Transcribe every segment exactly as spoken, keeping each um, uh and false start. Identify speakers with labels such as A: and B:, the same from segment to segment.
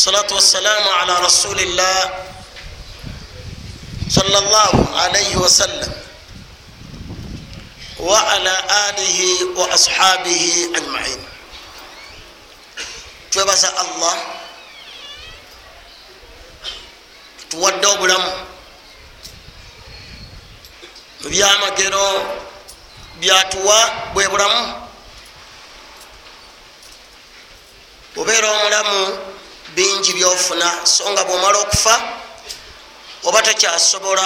A: Salatu wassalamu ala rasulillah sallallahu alayhi wasallam wa ala alihi wa ashabihi ajma'in. Twebaza Allah tuwadde obulamu mu byamagero byatuwa bwe bulamu. Obeera omulamu bingi byofuna, so nga bwomala okufa oba tokyasobola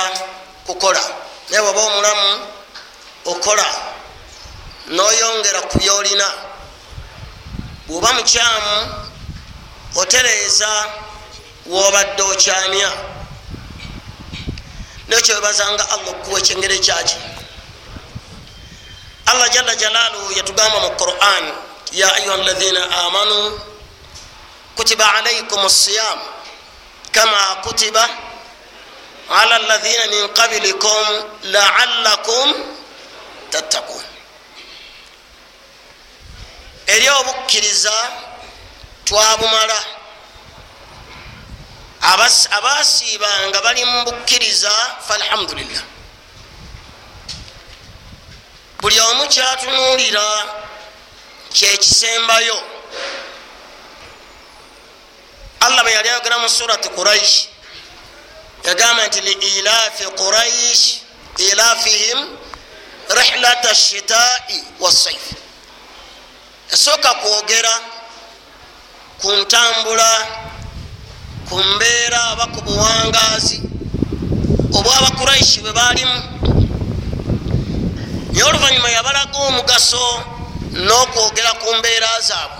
A: kukola, naye bw'oba omulamu okola n'oyongera ku byolina. Bw'oba mukyamu otereeza w'obadde okyamya. Nekyo webazanga Allah okuwa ekyengero ekyaki. Allah jalla jalaaluhu yatugamba mu Quran, ya ayuha alladhina amanu kutiba alaykum as-siyam kama kutiba ala alladhina min qablikum la'allakum tattaqun. Eri obukkiriza twabumala, abasiibanga bali mu bukkiriza falhamdulillah. Buli omu kyatunuulira kyekisembayo. Allah bwe yali ayogera mu surati Quraish yagamba nti li ilafi Quraish ilafihim rihlata shitai wassaif. Esooka kwogera ku ntambula, ku mbeera oba ku buwangaazi obw'Abakuraishi bwe baalimu, naye oluvannyuma yabalaga omugaso n'okwogera ku mbeera zaabwe.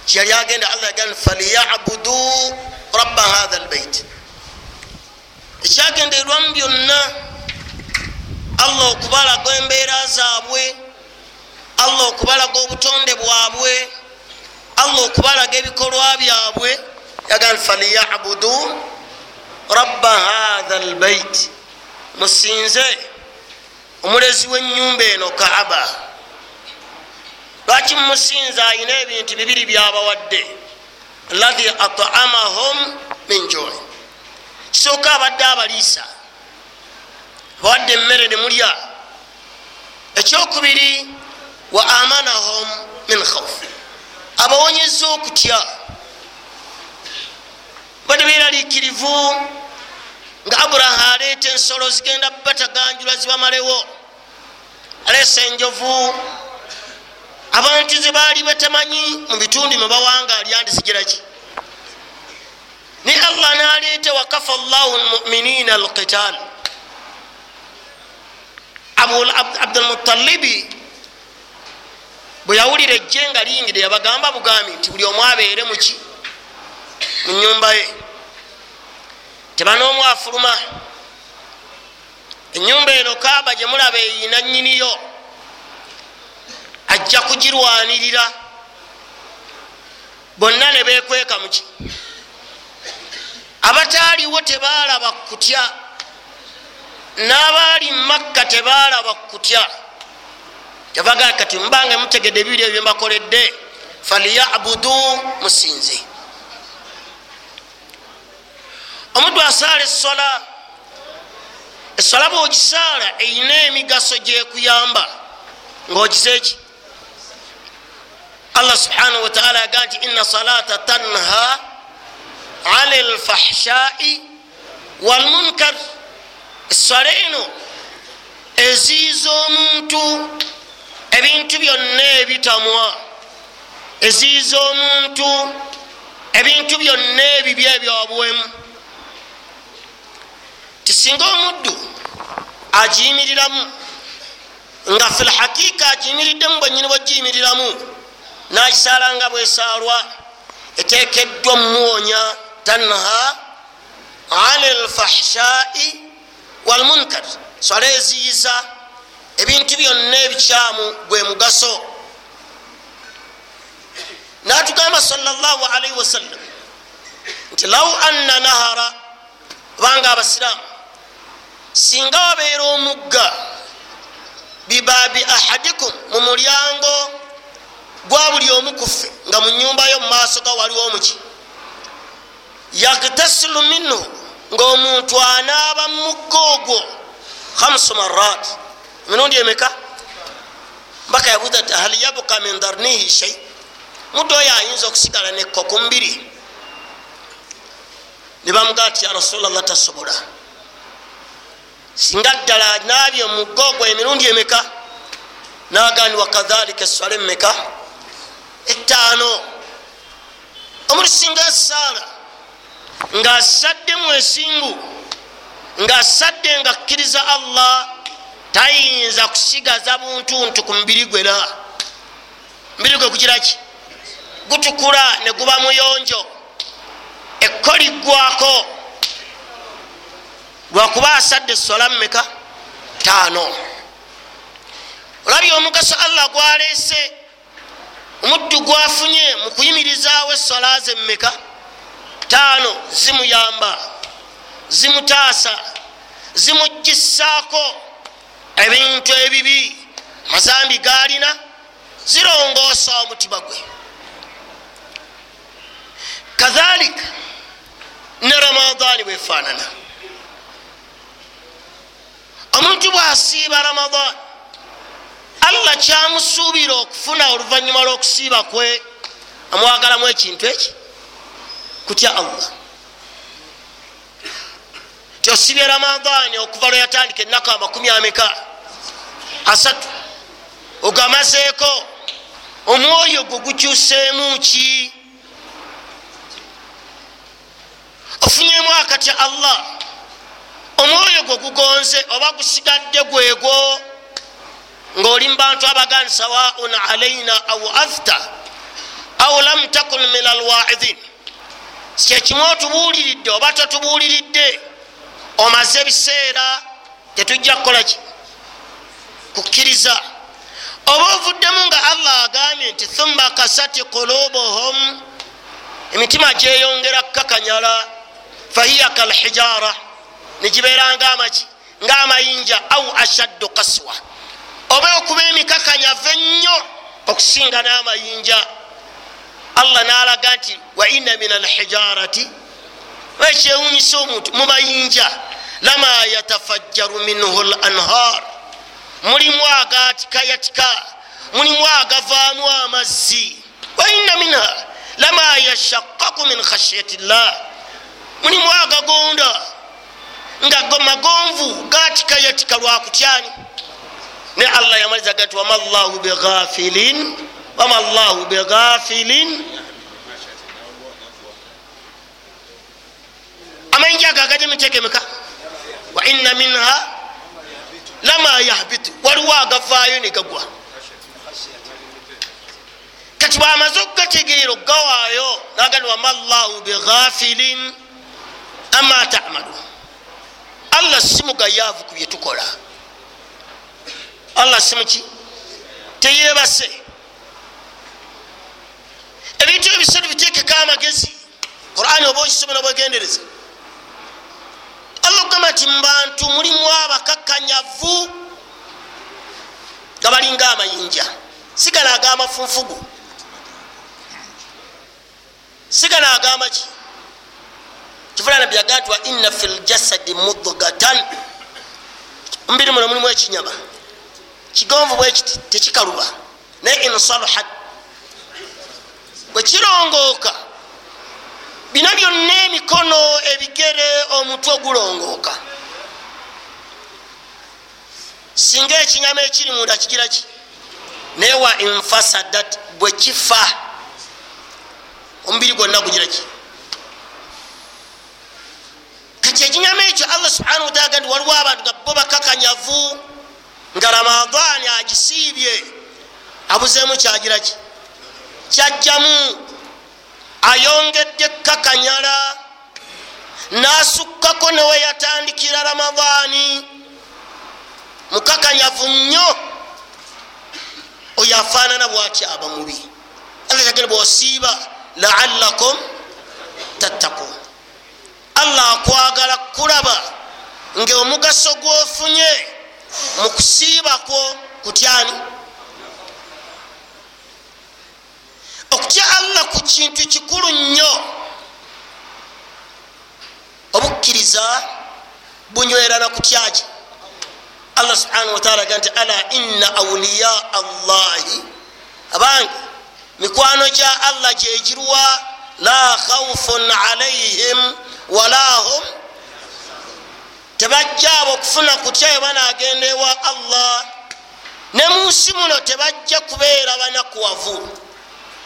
A: Kyeyali agenda Allah yagamba falyabudu rabba hatha albayt. Ekyagendererwamu byonna Allah okubalaga embeera zaabwe, Allah okubalaga obutonde bwabwe, Allah okubalaga ebikolwa byabwe. Yagamba falyabudu rabba hatha albayt, musinze omulezi w'ennyumba eno Kaaba. Lwaki mumusinza? Ayina ebintu bibiri byabawadde, alladhi at'amahum min jui. Kisooka abadde abaliisa, abawadde emmere ne mulya. Ekyokubiri wa amanahum min khawf, abawonyeza okutya. Badde beeraliikirivu nga Aburaha aleeta ensolo zigenda bataganjula zibamalewo, aleesa enjovu abantu ze baali batamanyi mu bitundu mwe bawangaalya nti zigiraki. Naye Allah n'aleeta wakafa llahu lmuminina alqital. Abdulmutalibi bwe yawulira ejje nga liyingidde yabagamba bugambi nti buli omu abeere muki mu nnyumba ye, teba n'omu afuluma. Ennyumba eno Kaaba gye mulaba eyina nnyiniyo, ajja kugirwanirira. Bonna ne beekweka muki. Abataaliwo tebaalaba kutya, n'abaali Makka tebaalaba kutya. Yavaga kati mubanga mutegedde ebibiri ebyo mbakoledde, falyabudu, musinze. Omuddu asaala essola, essola bw'ogisaala eyina emigaso gyekuyamba ng'ogize ki? Allah subhanahu wa ta'ala yagamba nti inna salata tanha ani lfahshai walmunkar. Essola eno eziiza omuntu ebintu byonna ebitamwa, eziiza omuntu ebintu byonna ebibi ebyobuwemu. Tisinga omuddu agiyimiriramu nga fil hakika agiyimiriddemu bwennyini bw'ogiyimiriramu, n'agisaala nga bwesaalwa, eteekeddwa mmuwonya tanha ani lfahshai walmunkar. Swala eziyiza ebintu byonna ebikyamu gwe mugaso. N'atugamba sallallahu alaihi wasallam nti law anna nahara, banga abasiraamu singa wabeera omugga bibabi ahadikum, mu mulyango gwa buli omu ku ffe, nga mu nnyumba yo mu maaso ga waliwo omuki, Yagtasilu minhu, ngaomuntu anaaba mumugga ogwo khamsu marat, emirundi emeka? Mbaka yabuuza ti hal yabka min darnihi shay, muddu oyo ayinza okusigala nekko ku mubiri? Nebamugaa ti ya Rasulallah, tasobola. Singa ddala anaabye omugga ogwo emirundi emeka? Nagandi wakadhalika eswala emeka? Etaano. Omuntu singa esaala ng'asaddemu ensimbu, ng'asadde nga akkiriza Allah, tayinza kusigaza buntuntu ku mubiri gwe. La mubiri gwe kugiraki? Gutukula ne guba muyonjo, ekko liggwako lwakuba asadde eswala mmeka? Taano. Olabye omugaso Allah gwaleese omuddu gwafunye mu kuyimirizaawo eswala ze mmeka? Taano. Zimuyamba, zimutaasa, zimugisaako ebintu ebibi, amazambi galina, zirongoosa omutima gwe. Kadhalika ne Ramadaani bwefaanana. Omuntu bwasiiba Ramadaani, Allah kyamusuubira okufuna oluvannyuma lw'okusiiba kwe, amwagalamu ekintu eki? Kutya Allah. Tyosibye Ramadaani okuva lwe yatandika ennaku amakumi ameka? Asatu, ogamazeeko, omwoyo gwo gukyuseemu ki? Ofunyemu akatya Allah? Omwoyo gwo gugonze oba gusigadde gwegwo ng'oli mu bantu abagani sawaun alaina au afta au lam takun min alwaidhin, kyekimu otubuuliridde oba totubuuliridde, omaze ebiseera tetujja kukolaki? Kukkiriza. Oba ovuddemu nga Allah agambye nti thumma kasati qulubuhum, emitima gyeyongera kukakanyala, fahiya kalhijara, negibeera ngaamaki? Ng'amayinja, au ashaddu kaswa, oba okuba emikakanyavu ennyo okusinga n'amayinja. Allah n'alaga nti wa inna min alhijarati, ekyewunyisa omuntu mu mayinja, lama yatafajjaru minhu l anhar, mulimu agatikayatika, mulimu agavaamu amazzi. Wa inna minha lama yashakaku min khashiyati llah, mulimu agagonda nga magonvu gatikayatika lwakutyani. Ne Allah yamaliza nti wama llahu bighafilin, wama llahu bighafilin. Amayinja ago agajja emiteeko emeka? Wa inna minha lama yahbitu, waliwo agavaayo ne gagwa. Kati bwamaze okugategeera okugawaayo nagandi wama llahu bighafilin ama tamalun, Allah si mugayaavu ku byetukola. Allah si muki? Teyebase. Ebintu ebisatu biteekeko amagezi. Qur'ani oba okisomera bwegendereza. Allah okugamba nti mu bantu mulimu abakakkanyavu nga balinga amayinja, sigala ag'amafunfugu, sigala ag'amaki. Kifula Nabbi yagamba nti wa inna fil jasadi mudgatan, mubiri muno mulimu ekinyama kigonvu bwekiti tekikaluba, naye insaluhat, bwe kirongooka bina byonna, emikono, ebigere, omutwe gulongooka. Singa ekinyama ekiri munda kigira ki? Naye wa infasadat, bwe kifa omubiri gwonna gugira ki? Kati ekinyama ekyo Allah subhanahu wataala nti waliwo abantu nga bo bakakanyavu, nga Ramadaani agisiibye abuzeemu kyagira ki? Kyajjamu, ayongedde kakanyala n'asukkako newe yatandikira Ramadaani, mukakanyavu nnyo. Oyo afaanana bwati aba mubi. Allah yagamba bw'osiiba laallakum tattakun, Allah akwagala kulaba ng'omugaso gw'ofunye mu kusiibakwo kutyani? Okutya Allah ku kintu kikulu nnyo. Obukkiriza bunywera na kutyaki. Allah subhanahu wataala aga nti ala inna awliya Allahi, abange mikwano gya Allah gyegirwa, la khawfun alaihim wala hum, tebajja abo okufuna kutya bwe banagenda ewa Allah, ne mu nsi muno tebajja kubeera banakuwavu.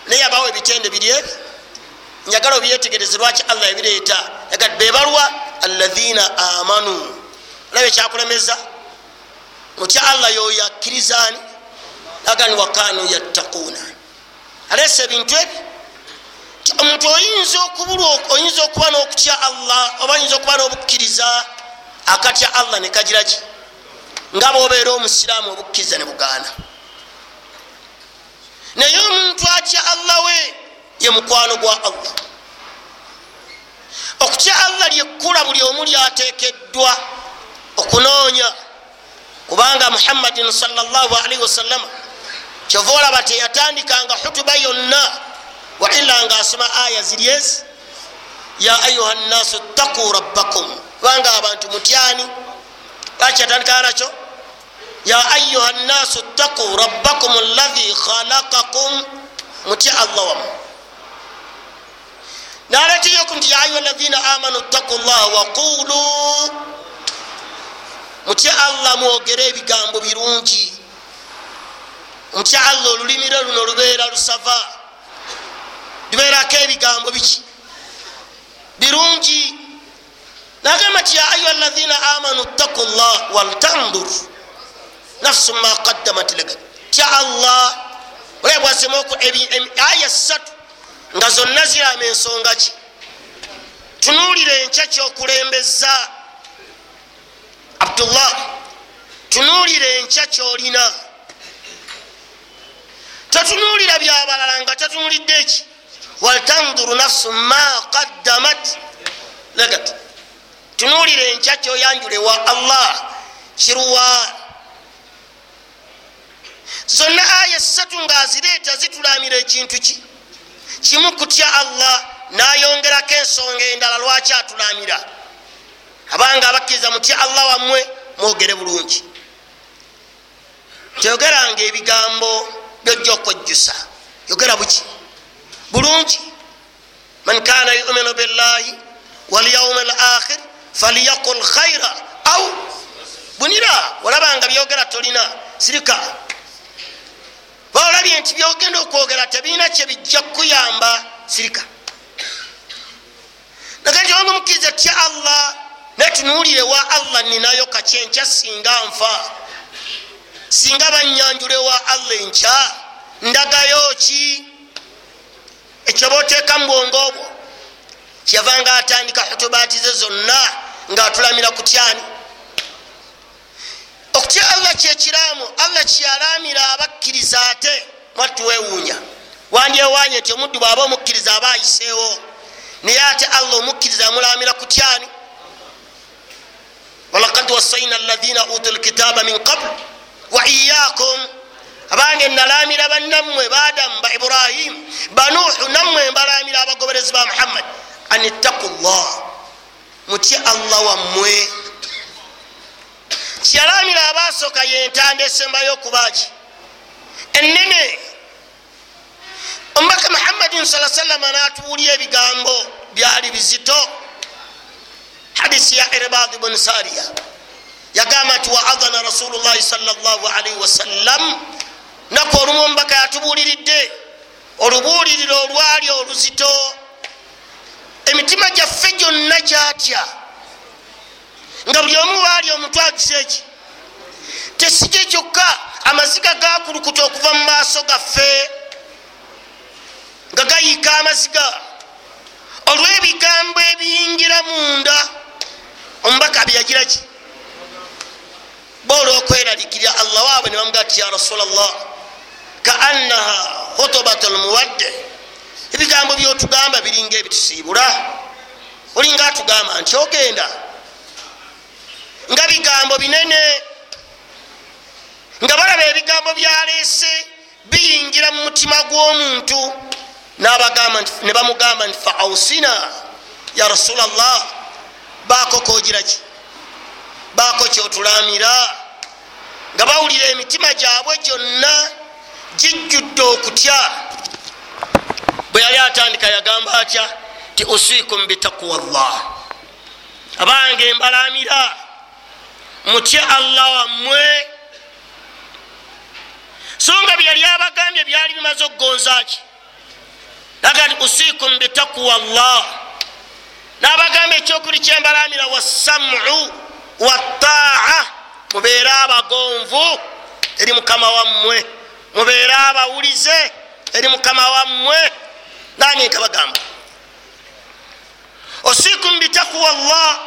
A: Naye abawo ebitende biri ebi njagala obyetegereze lwaki Allah ebireeta. Bebalwa alladhina amanu, olaba ekyakulemeza mutya Allah yoyo akkirizaani agani wakanu yattaquuna. Aleese ebintu ebi omuntu oyinza okubulwa, oyinza okuba n'okutya Allah oba oyinza okuba n'obukkiriza, akatya Allah ne kagira ki nga bw'obeera omusiraamu obukkiriza ne bugaana. Naye omuntu atya Allah we ye mukwano gwa Allah. Okutya Allah lyekkula buli omu lyateekeddwa okunoonya, kubanga Muhammadin sallallahu alaihi wasallama kyova olaba teyatandikanga hutuba yonna wa illa nga asoma aya ziri ezi, ya ayuha nnaasu ttaquu rabbakum, kubanga abantu mutyani. Lwaki yatandikanga nakyo? Ya ayuha nnaasu ttaquu rabbakum alladhi khalaqakum, mutya Allah wamu. Naletiyoku nti ya ayuha alladhina amanu ttaqu llaha waqulu, mutya Allah mwogere ebigambo birungi. Mutya Allah olulimi lwe luno lubeera lusava, lubeerako ebigambo biki birungi. Nagamba nti ya ayuha alladhina amanu ttaqu llah waltandur nafsu ma qaddamat ligad. Tya Allah olaba bwasemaku aya ssatu nga zonna zirama ensonga ki. Tunuulira enkya kyokulembeza Abdullah, tunuulira enkya kyolina, totunuulira byabalala nga totunuulidde eki. Waltanduru nafsu ma qaddamat ligad, tunuulira enkya kyoyanjula wa Allah kiruwa. Zonna aya ssatu ng'azireeta zitulamira ekintu ki kimu, kutya Allah. N'ayongerako ensonga endala lwaki atulamira, abanga abakkiriza mutya Allah wammwe mwogere bulungi, teyogeranga ebigambo byojja okwejjusa, yogera buki bulungi. Man kana yuminu billahi walyaumi al akhir falyaqul khaira au bunira. Olabanga byogera tolina sirika, baolabye nti byogenda okwogera tebirina kyebijja kukuyamba, sirika. Nakati onge mukkiriza tya Allah, netunuulire wa Allah ninayo kaki enkya singa nfa, singa bannyanjule wa Allah enkya ndagayo ki? Ekyo booteeka mu bwongo obwo. Kyeyavanga atandika hutubaati ze zonna ng'atulamira kutyani. Okutya Allah kyekiraamu Allah kyeyalamira abakkiriza. Ate mwattuweewuunya wandyewaanye nti omuddu bw'aba omukkiriza aba ayiseewo, naye ate Allah omukkiriza amulamira kutyani. Walaqad wasaina alladhina utu lkitaba min qabl wa iyakum, abange nalamira bannammwe baadamu ba Ibrahimu banuuhu, nammwe mbalamira abagoberezi ba Muhammad, an ittaqu llah, mutye Allah wammwe. Kyeyalamira abaasooka yentanda esembayo okubaki ennene. Omubaka Muhammadin sala sallama n'atuwulya ebigambo byali bizito. Hadisi ya Irbad bun Sariya yagamba nti waadhana rasulullahi sallallahu alaihi wasallam, naku olumu omubaka yatubuuliridde olubuuliriro olwali oluzito, emitima gyaffe gyonna gyatya nga buli omu waali omutwe agize eki tesije kyokka, amaziga gakulukuta okuva mu maaso gaffe nga gayiika amaziga olw'ebigambo ebiyingira munda. Omubaka byeyagira ki bo olw'okweraliikirira Allah waabwe ne bamugaa ti ya Rasulallah kaannaha khutubatu lmuwadde, ebigambo byotugamba biringa ebitusiibula, olinga atugamba nti ogenda, nga bigambo binene, nga balaba ebigambo byaleese biyingira mu mutima gw'omuntu. Ne bamugamba nti fa ausina ya Rasulallah, Baako kogiraki, baako kyotulamira. Nga bawulira emitima gyabwe gyonna gijjudde okutya. Bwe yali atandika yagamba atya? Ti usikum bitaqwa llah, abange mbalamira mutye Allah wammwe. So nga byali abagambye byali bimaze okugonza ki? Naga nti usikum bitaqwa llah, n'abagamba ekyokuli kyembalamira wassamu wattaa, mubeere abagonvu eri mukama wammwe, mubeere abawulize eri mukama wammwe. Nange nkabagamba usikum bitaqwa llah,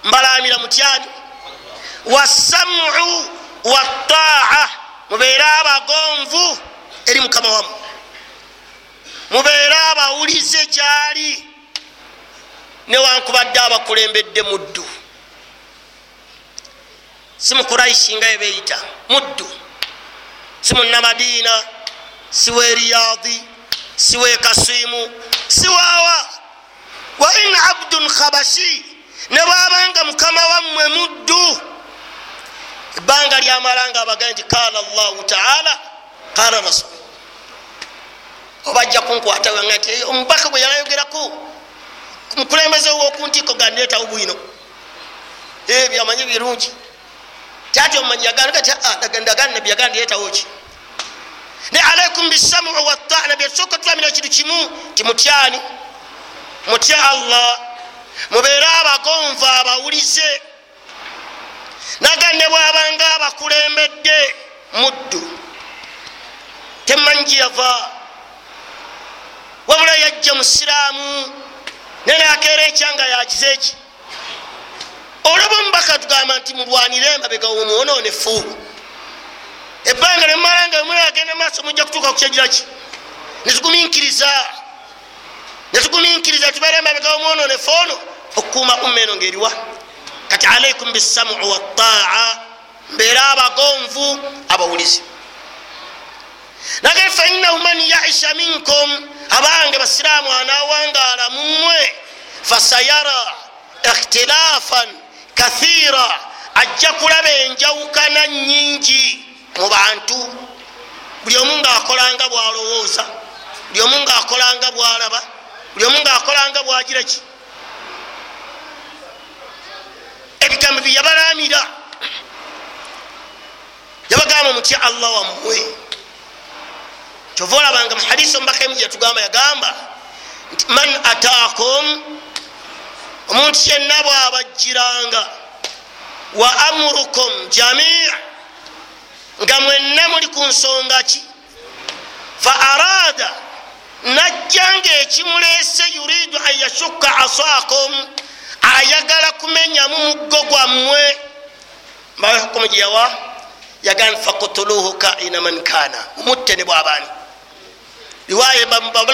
A: mbalamira mutyani? Wassamu wattaa, mubeere abagonvu eri mukama wammwe, mubeere abawulize gyali, newankubadde abakulembedde muddu. Si mukuraishi nga yebeeyita muddu, si munnamadiina, si we Riyadi, si we Kasimu, si waawa. Wa in abdun khabashi, ne bwabanga mukama wammwe muddu, ebbanga lyamalanga abagambye nti qala Allahu taala qala rasul, obajja kunkwata wanga nti omubaka gwe yalayogerako mukulembeze w'okuntiiko gandeetawo bwino ebyo amanyi birungi kyati omumanyi yagamba nti ndagaano nabbi yagamba ndeetawo ki? Ne alaikum bisamu wattaa, nabbi yatusooka tulamira ekintu kimu nti mutyani? Mutya Allah, mubeere abagonvu abawulize. Naga ne bwabanga abakulembedde muddu, temanyi gye yava, wabula yajja musiraamu naye nakeera ekyanga yagize eki. Olaba omubaka tugamba nti mulwanire emabega w'omwonoonefu, ebbanga nemumala nga mulagenda maaso mujja kutuuka ku kyegira ki? Netugumiikiriza, netugumiikiriza tubeere emabega w'omwonoonefu ono okukuuma umma eno ng'eriwa. Kati alaikum bisamu wattaa, mbeere abagonvu abawulize. Nage fainnahu man yaisha minkum, abange basiraamu anaawangaala mummwe, fasayara ikhtilafan kathira, ajja kulaba enjawukana nnyingi mu bantu. Buli omu ng'akolanga bw'alowooza, buli omu ng'akolanga bw'alaba, buli omu ng'akolanga bw'agira ki. Ebigambo bye yabalamira yabagamba mutya Allah wammwe. Kyova olabanga mu hadisi omubaka emu gye yatugamba, yagamba nti man ataakum, omuntu yenna bw'abajjiranga, wa amurukum jamii, nga mwenna muli ku nsonga ki, fa arada, najja ng'ekimuleese, yuridu an yashukka asaakum, ayagala kumenyamu muggo gwammwe. Mbawe hukumu gye yawa, yagamba fakutuluhu kaina man kana, mumutte ne bw'abaani. Riwaya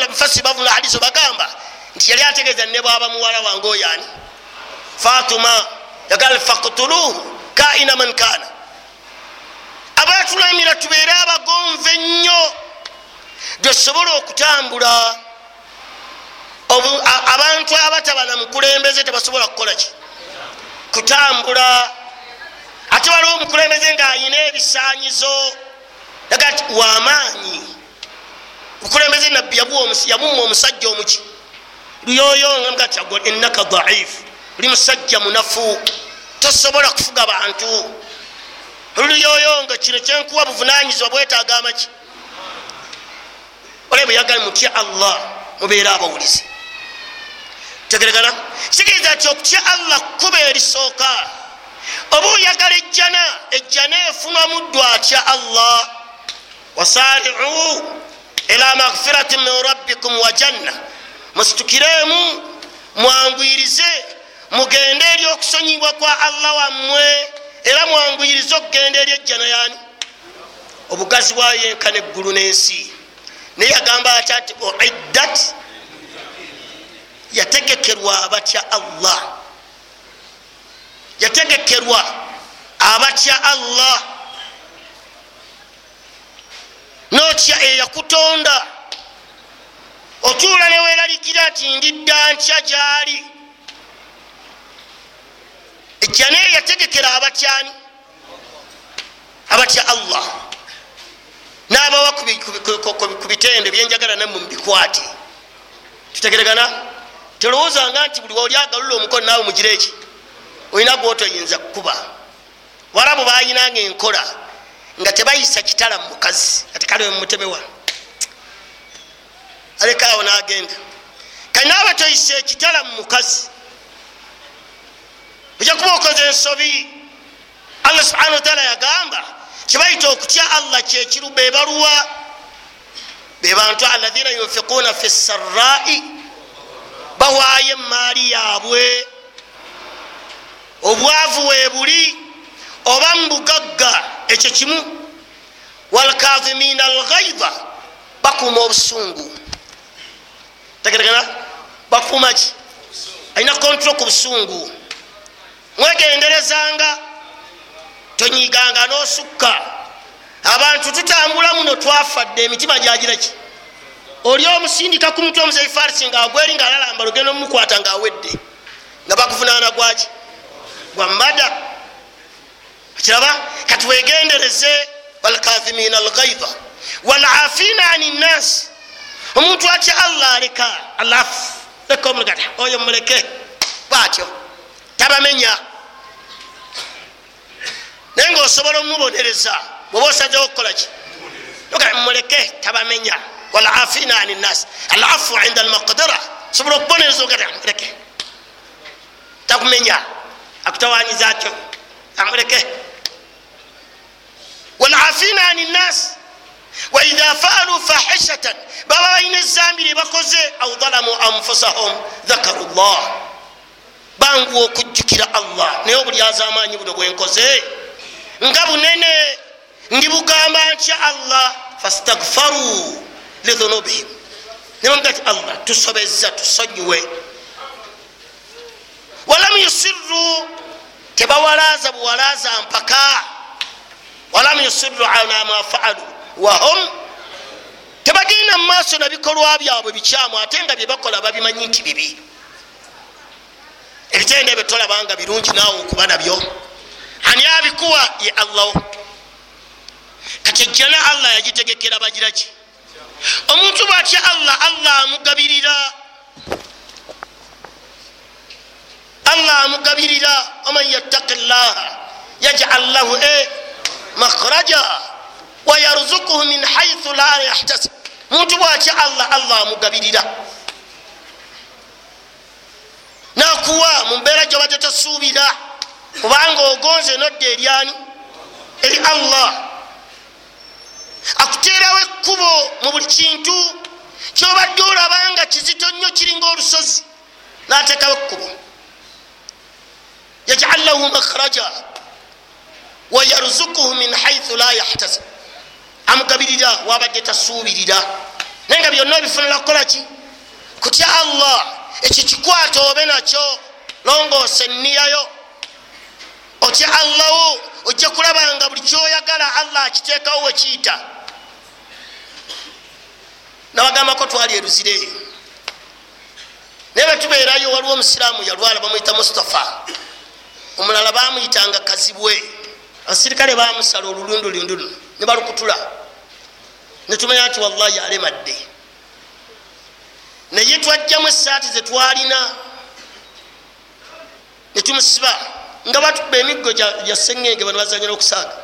A: mufasiri bavuna hadisi bagamba nti yali ategeeza ne bw'aba muwala wange oyo ani Fatuma, yagamba fakutuluhu kaina man kana. Abatulamira tubeere abagonvu ennyo gyesobola okutambula. Abantu abatabana mukulembeze tebasobola kukola ki? Kutambula. Ate waliwo omukulembeze ng'ayina ebisaanyizo, yaga nti wamaanyi. Omukulembeze nabbi yamumma omusajja omuki luyoyo, nga ti innaka dhaifu, oli musajja munafu, tosobola kufuga bantu. Luyoyo nga kino kyenkuwa buvunaanyizibwa bwetaaga amaki. Olaba bwe yagala mutya Allah, mubeere abawulize. Tegeregana kitegeeza nti okutya Allah kkuba erisooka. Oba oyagala ejjana, ejjana efunwa muddu atya Allah. Wasari'u ila maghfiratin min rabbikum wa janna, musitukiremu mwanguyirize mugende eri okusonyibwa kwa Allah wammwe, era mwanguyirize okugenda eri ejjana yani obugazi bwayo yenkana eggulu n'ensi. Naye yagamba atya nti uiddat, yategekerwa abatya Allah, yategekerwa abatya Allah. Notya eyakutonda, otuula neweeraliikira nti ndidda ntya gyali. Ejjana eyo yategekera abatyani? Abatya Allah, n'abawa ku bitendo byenjagala nammwe mubikwate. Tutegeregana? Telowoozanga nti buli oli agalula omukono naawe mugire eki, olina gwotoyinza kukuba. Warabu bayinanga enkola nga tebayisa kitala mu mukazi, ati kale mutemewa alekaawo n'agenda. Kanaawe toyisa ekitala mu mukazi, ojja kuba okoze ensobi. Allah subhanahu wataala yagamba kibayita okutya Allah kyekiru bebaluwa bebantu alladhina yunfiquna fi sarrai, bawaayo emaali yaabwe obwavu webuli oba mubugagga, ekyo kimu. Walkazimina alghaidha, bakuuma obusungu. Tegeregana? Bakuuma ki? Alina kontrol ku busungu. Mwegenderezanga, tonyiganga n'osukka. Abantu tutambula muno twafadde, emitima gyagiraki. Oli omusindika ku mutwe omuzeyi Farisi ng'agweri ng'alalamba lugendo mumukwata ng'awedde, nga bakuvunaana gwaki? Gwa mada. Kiraba? Kati wegendereze. Walkazimina alghaidha walafina ani nnas, omuntu atya Allah aleka alafu leka omulekata oyo muleke bwatyo tabamenya, naye ngaosobola omubonereza bwoba osazewo okukolaki, muleke tabamenya. Walafina ani nnas, alafu inda almaqdira, osobola okubonereza ogata muleke takumenya, akutawanyizakyo amuleke. Walafina ani nnas waidha faalu fahishatan, baba balina ezambi lyebakoze, au dhalamu anfusahum dhakaru llah, banguwa okujjukira Allah. Naye obulyazaamaanyi buno bwenkoze nga bunene, ndibugamba ntya Allah? Fastaghfaru lidhunubihim, nebamuga ti Allah tusobezza, tusonyiwe. Walam yusirru, tebawalaaza buwalaaza mpaka. Walam yusirru ala ma faalu wahum, tebagenda mu maaso na bikolwa byabwe bikyamu, ate nga byebakola babimanyi nti bibi. Ebitendo ebyo tolabanga birungi naawe okuba nabyo. Ani abikuwa? Ye Allah. Kati ejjana Allah yagitegekera bagiraki? Omuntu bwatya Allah, Allah amugabirira, Allah amugabirira. Waman yattaqi llaha yaj'al lahu e makhraja wayarzukuhu min haythu la yahtasib. Muntu bwatya Allah, Allah amugabirira nakuwa mu mbeera gyobadde tosuubira, kubanga ogonze nodda eryani? Eri Allah. Akuteerawo ekkubo mu buli kintu kyobadde olabanga kizito nnyo, kiringa olusozi, n'ateekawo ekkubo. Yaj'al lahu makhraja wayarzukuhu min haythu la yahtasib, amugabirira wabadde tasuubirira, naye nga byonna obifunira kukola ki? Kutya Allah. Ekyo kikwata obe nakyo, longoosa enniyayo, otya Allawo, ojja kulabanga buli kyoyagala Allah akiteekawo wekiyita. Nabagambako twali eruzire eyo, naye bwetubeerayo waliwo omusiraamu yalwala, bamuyita Mustafa, omulala bamuyitanga Kazibwe. Abasirikale bamusala olulundulindu luno ne balukutula, netumanya nti wallahi alemadde. Naye twajjamu esaati zetwalina netumusiba, nga batukuba emiggo gya sengenge, bano bazanyira okusaaga,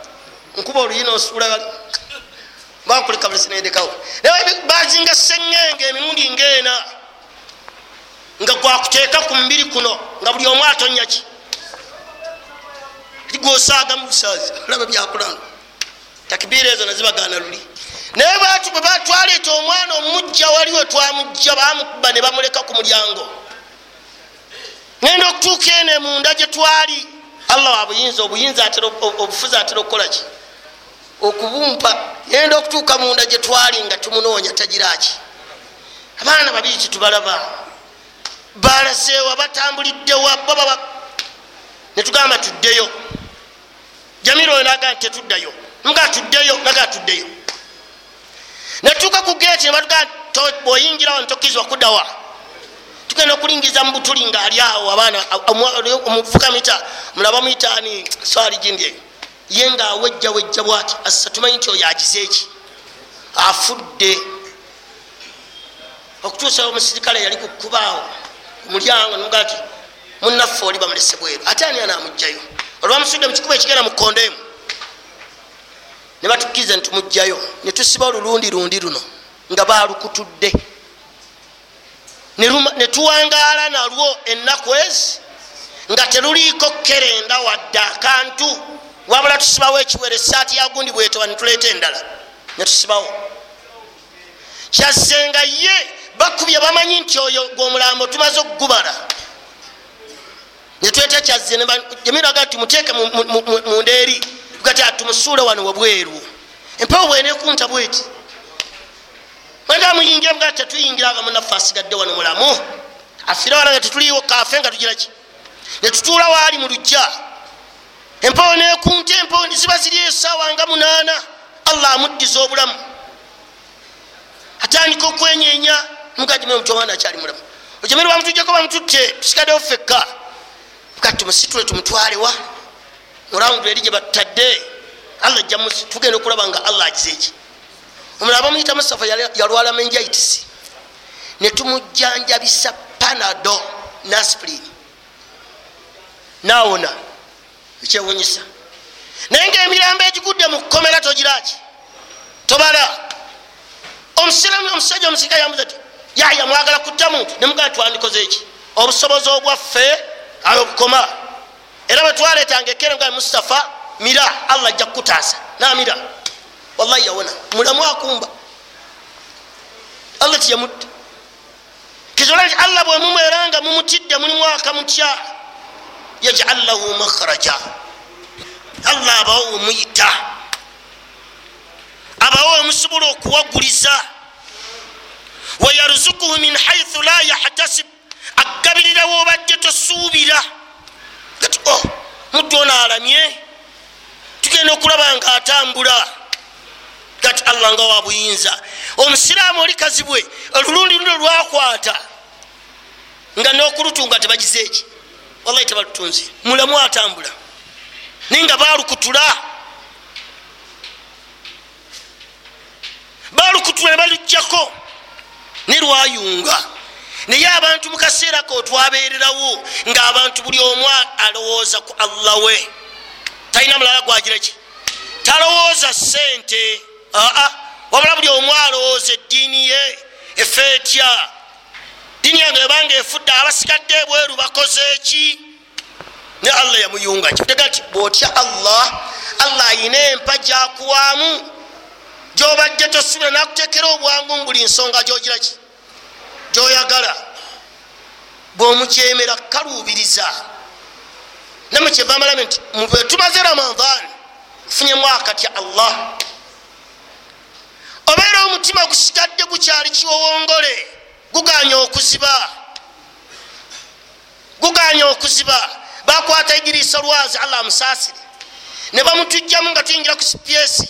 A: nkuba oluyina osuula bakuleka bulisinendekawo. Naye bazinga sengenge emirundi ngeena, nga gwakuteeka ku mubiri kuno, nga buli omu atonyaki gwosaaga mu busaazi, olaba byakulanga. Takbiira ezo nazibagaana luli. Naye batu bwe batwaleeta omwana omujja, waliwe twamujja, bamukuba ne bamuleka ku mulyango. Ngenda okutuuka eno munda gye twali, Allah wa buyinza, obuyinza atera, obufuzi atera okukola ki? Okubumpa. Ngenda okutuuka munda gye twali nga tumunoonya tagiraki. Abaana babiri kitubalaba, balazeewa, batambuliddewa, baba netugamba tuddeyo. Jamiro oyo naga nti tetuddayo, nga tuddeyo, naga tuddeyo. Netuuka ku geeti ne batugamba bw'oyingirawo ntokkirizibwa kuddawa. Tugenda okulingiza mu butuli nga ali awo abaana omuvuka mita mulaba muyita ani swali gindi eyo ye nga awejja wejja bwati assa tumanyi nti oyo agize eki afudde. Okutuusa omusirikale yali ku kkubaawo ku mulyango nomugaa nti munnaffe oli bamulese bweru, ate ani anaamugjayo? Olwamusudde mu kikuba ekigenda mu kkondo emu ne batukkiriza ne tumugjayo ne tusiba olulundi lundi luno nga baalukutudde ne tuwangaala nalwo ennaku ezi nga teruliiko kerenda wadde akantu, wabula tusibawo ekiwere esaati ya gundi bwetoba ne tuleeta endala ne tusibawo. Kyazzenga ye bakubye bamanyi nti oyo gwomulambo tumaze okugubala ne tuleeta Kyazze Jamiru nti muteeke munda eri tugati atumusuule wano wabweru empewo bweneekunta bweti mwenda muyingira mga tetuyingira nga munnaffe asigadde wano mulamu afire wala nga tetuliiwo kafe nga tugira ki ne tutuula waali mu lujja empewo neekunta empewo ziba ziri esaawa nga munaana. Allah amuddiza obulamu atandika okwenyeenya mugajime omuti omwana akyali mulamu ojamiru bamutujjako bamututte tusigaddewo ffekka kati tumusitule tumutwalewa murawundu eri gye batutadde Allah ajja tugenda okulaba nga Allah agize eki. Omulala bamuyita Mustafa yalwala meningitis ne tumujjanjabisa Panado n'aspirin naawona ekyewunyisa. Naye ngaemirambo egigudde mu kkomera togiraki tobala. Omusiraamu omusajja omusirikale yambuza ti Yahya mwagala kutta muntu ne mugamba twandikoze eki obusobozi obwaffe ayo bukoma. Era bwe twaleetanga ekkere nga Mustafa mira Allah ajja kukutaasa n'amira wallahi yawona mulamu akumba Allah tiyamutta. Kizola nti Allah bwe mumweranga mumutidde mulimu akamutya yaj'al lahu makhraja, Allah abawo omuyita abawo omusobola okuwaguliza. Wayarzukuhu min haythu la yahtasib, agabirira wobadde tosuubira. Kati oh muddu ono alamye tugenda okulaba nga atambula. Kati Allah nga wa buyinza. Omusiraamu oli kazibwe olulundi luno lwakwata nga n'okulutunga tebagize eki wallahi tebalutunze mulamu atambula naye nga baalukutula baalukutula ne baluggyako ne lwayunga. Naye abantu mu kaseera ko twabeererawo ng'abantu buli omu alowooza ku Allah we talina mulala gwagira ki talowooza ssente aa wabula buli omu alowooza eddiini ye efe etya ddiini yange ebanga efudde abasigadde ebweru bakoze eki ne Allah yamuyunga. Kitega nti bw'otya Allah Allah ayina empa gyakuwaamu gy'obadde tosuubira n'akuteekera obwangu mu buli nsonga gy'ogira ki gy'oyagala. Bw'omukyemera kaluubiriza nammwe kyeva amalame nti bwe tumaze Ramadhan tufunyemu akatya Allah obeera omutima gusigadde gukyali kiwowongole guganya okuziba guganya okuziba. Bakwata Idirisa Lwazi Allah amusaasire ne bamutujjamu nga tuyingira ku sipyesi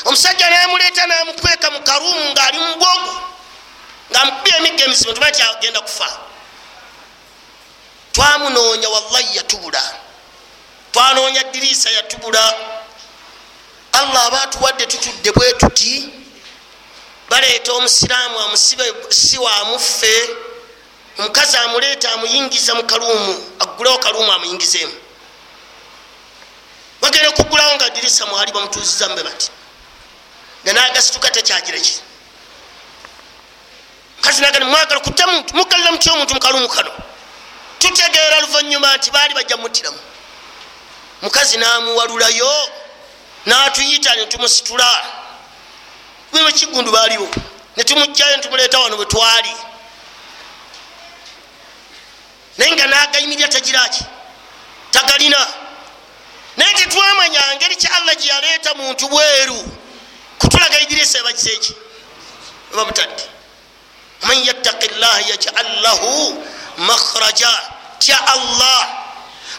A: omusajja namuleeta namukweka mu karuumu ng'ali mu bwogo ng'amukubye emiggo emizibu tumanyi nti agenda kufa. Twamunoonya wallahi yatubula twanoonya Dirisa yatubula. Allah aba atuwadde tutudde bwe tuti baleeta omusiraamu amusibe si wamuffe omukazi amuleeta amuyingiza mu kaluumu aggulewo kaluumu amuyingizeemu bagenda okuggulawo nga Dirisa mwali bamutuuziza mbe bati nga n'agasituka tekyagira ki mukazi nagani mwagala kutta muntu mugalira mutya omuntu mu kaluumu kano. Tutegeera luvannyuma nti baali bajja muttiramu mukazi n'amuwalulayo n'atuyita ne tumusitula bwe kigundu baaliwo ne tumugjayo ne tumuleeta wano bwe twali naye nga n'agayimirira tagiraki tagalina. Naye tetwamanya ngeri ki Allah gye yaleeta muntu bweru kutulaga Idirisa ebagize eki bamutadde. Man yattaqi llaha yaj'al lahu makhraja, tya Allah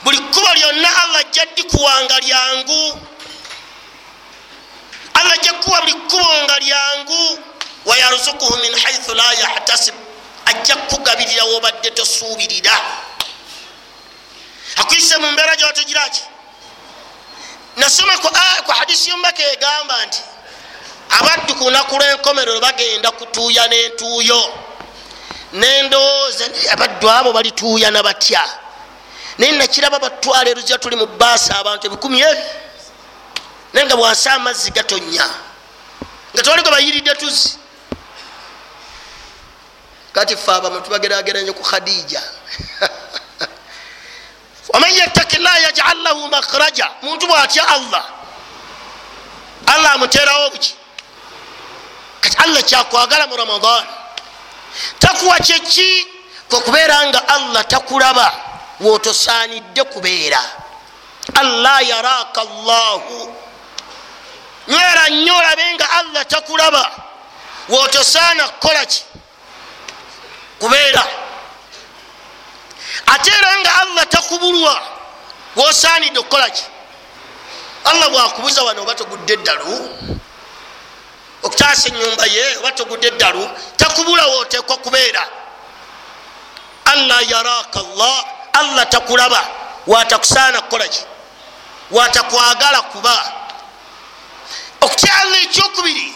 A: buli kkubo lyonna Allah ajja ddikuwanga lyangu Allah ajja kukuwa buli kkubo nga lyangu. Wayarzukuhu min haythu la yahtasib, Ajja kukugabirira wobadde tosuubirira, akuyise mu mbeera gyotegiraki. Nasoma ku hadisi y'omubaka egamba nti abaddu ku lunaku lw'enkomerero bagenda kutuuya n'entuuyo. Nendowooza abaddu abo balituuyana batya? Naye nakiraba batwala eruzira, tuli mu baasi abantu ebikumi ebi, naye nga bwansi amazzi gatonnya nga tewali gwe bayiridde tuzzi. Kati ffe abamu tubagerageranye ku Khadija. Waman yattaki llah yajal lahu makhraja, muntu bwatya Allah, Allah amuterawo buki. Kati Allah kyakwagala mu Ramadan takuwa kyeki? Kwekubeera nga Allah takulaba wotosaanidde kubeera. Allah yaraka llahu, nywera nnyo olabe nga Allah takulaba wotosaana kukolaki kubeera. Ate era nga Allah takubulwa wosaanidde okukolaki. Allah bwakubuza wano oba togudde eddalu okutaasa ennyumba ye, oba togudde eddalu, takubula wooteekwa kubeera. Allah yaraka llah, Allah takulaba watakusaana kukolaki, watakwagala kuba. Okutya Allah ekyokubiri,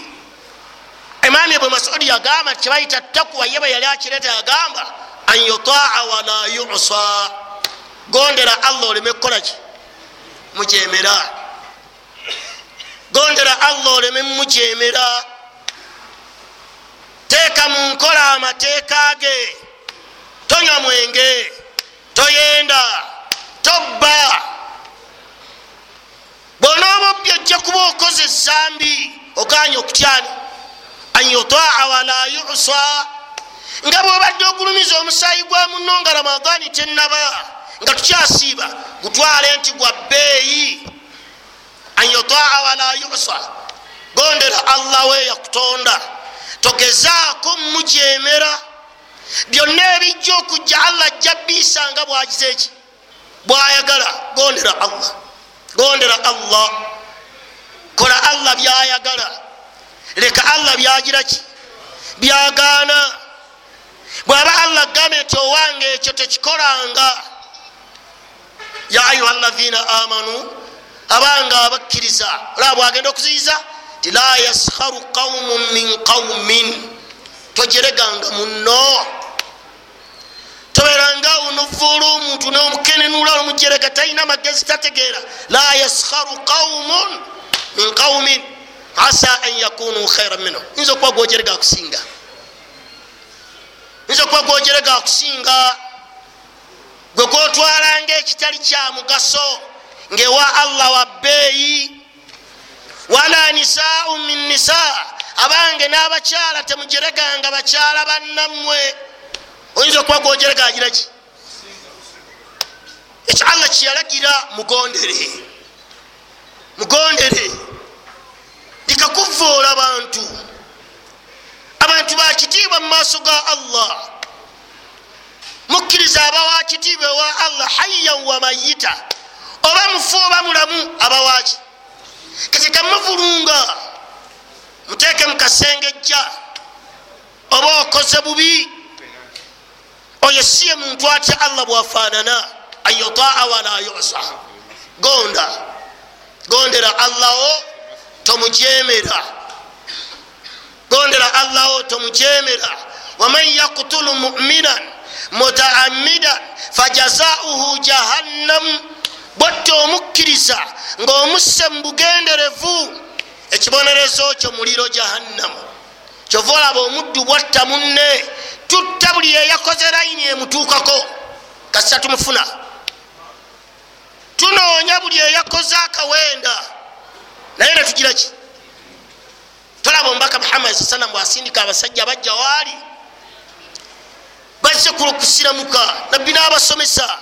A: Imaam Ibn Mas'ud yagamba kyebayita takuwa, ye bwe yali akireeta yagamba an yutaa wala yusa, gondera Allah oleme kukolaki mujemera, gondera Allah oleme mujemera. Teeka mu nkola amateeka ge, tonywa mwenge, toyenda, tobba. Bw'onooba obbye ojja kuba okoze ezambi, oganye okutyani an yutaa wala yusa. Nga bw'obadde ogulumiza omusaayi gwa munno nga Ramadaani tennaba, nga tukyasiiba, gutwale nti gwa bbeeyi. An yutaa wala yusa, gondera Allah we yakutonda, togezaako mujemera. Byonna ebijja okujja Allah ajja biisa nga bwagize eki bwayagala. Gondera Allah, gondera Allah, kola Allah byayagala, leka Allah byagiraki byagaana. Bwaba Allah agambye nti owange ekyo tekikolanga, ya ayuha alladhina amanu, abanga abakkiriza, olaba bwagenda okuziyiza ti la yaskharu qaumun min qaumin, tojereganga munno, toberanga onovuula omuntu n'omukenenula omujerega talina magezi tategeera. La yaskharu qaumun min qaumin asa an yakunu khairan minhu, yinza okuba gwojerega akusinga, yinza okuba gwojerega akusinga, gwe gwotwalanga ekitali kya mugaso ngewa Allah wa bbeeyi. Wala nisaau min nisa, abange n'abakyala temujereganga bakyala bannammwe. Oyinza okuba gwojerega agiraki? Ekyo Allah kyeyalagira, mugondere, mugondere. Likakuvuula abantu, abantu bakitiibwa mu maaso ga Allah. Mukkiriza abawa kitiibwa ewa Allah hayyan wa mayita, oba mufu oba mulamu abawaki. Kati kamuvulunga muteeke mu kasengejja, oba okoze bubi, oyo si ye muntu atya Allah bwafaanana. An yutaa wala yusa, gonda, gondera Allaho tomujemera, gondera Allaho tomujemera. Waman yaktulu muminan mutaamidan fajazauhu jahannam, bwotta omukkiriza ng'omusse mu bugenderevu, ekibonerezo kyo muliro jahannamu. Kyova olaba omuddu bwatta munne, tutta buli eyakoze layini emutuukako kasita tumufuna. Tunoonya buli eyakoze akawenda naye netugira ki? Tolaba omubaka Muhammad sallallahu alaihi wasallam bwasindika abasajja bajja waali bazze kusiramuka, nabbi n'abasomesa,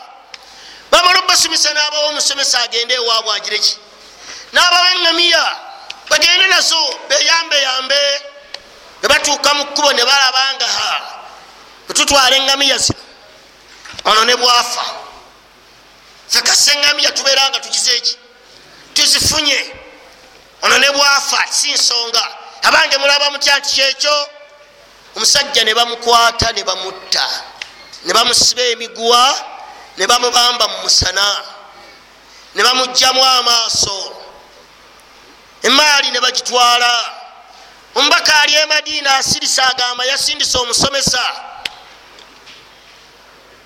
A: bamala obbasomesa n'abawa omusomesa agende ewaabwe agire ki, n'abawa eŋŋamiya bagende nazo beyambeyambe. Bwe batuuka mu kkubo ne balaba nga ha bwe tutwala eŋŋamiya zino ono ne bwafa, ffe kasa eŋŋamiya tubeera nga tugize eki tuzifunye, ono ne bwafa si nsonga. Abange mulaba mutya nti kyekyo? Omusajja ne bamukwata ne bamutta, ne bamusiba emiguwa, ne bamubamba mu musana, ne bamugjamu amaaso, emaali ne bagitwala. Omubaka ali e Madiina asirisa, agamba yasindisa omusomesa.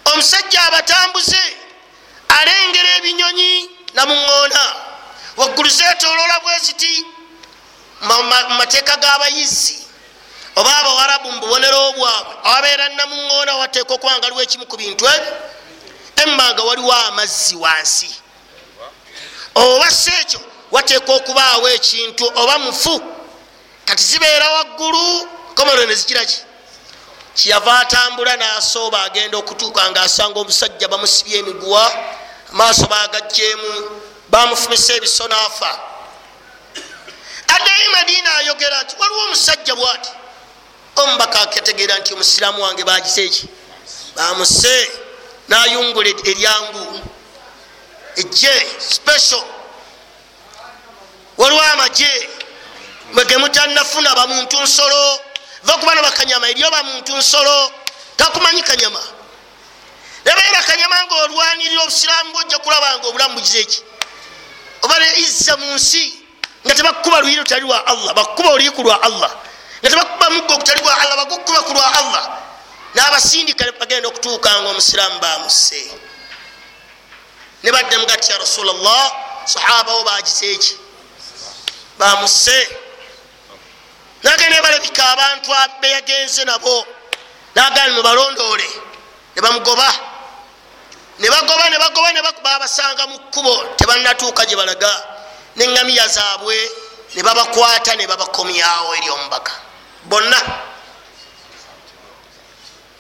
A: Omusajja abatambuze alengera ebinyonyi namuŋŋoona waggulu zeetooloola bwe ziti mu mateeka g'abayizi oba abawarabu mu bubonero bwabwe awabeera namuŋŋoona wateeka okuba nga waliwo ekimu ku bintu ebyo, emma nga waliwo amazzi wansi, oba si ekyo wateeka okubaawo ekintu oba mufu. Kati zibeera waggulu komero ne zigira ki? Kyeyava atambula n'asooba agenda okutuuka ng'asanga omusajja bamusibye emiguwa, amaaso bagaggyemu, bamufumisa ebiso n'afa. Addayo Madiina ayogera nti waliwo omusajja bw'ati. Omubaka aketegeera nti omusiraamu wange bagise eki? Bamuse. N'ayungula eryangu ejje special. Waliwo amagye mwe mutannafuna bamuntu nsolo, va ku bano bakanyama eriyo bamuntu nsolo, takumanyi kanyama. Nabeera kanyama ng'olwanirira obusiraamu bwojja kulaba nga obulamu bugize eki? Oba ne izza mu nsi nga tebakuba luyi lutali lwa Allah, bakuba oluyi ku lwa Allah, nga tebakuba muggo ogutali gwa Allah, bagukuba ku lwa Allah. N'abasindika bagenda okutuuka nga omusiraamu bamuse. Ne baddamu gati ya Rasulallah, sahaba wo bagize eki? Bamuse. Nagenda balabika abantu beyagenze nabo, nagamba mubalondoole, ne bamugoba, ne bagoba ne bagoba ne babasanga mu kkubo, tebannatuuka gye balaga, n'eŋŋamiya zaabwe ne babakwata ne babakomyawo eri omubaka bonna.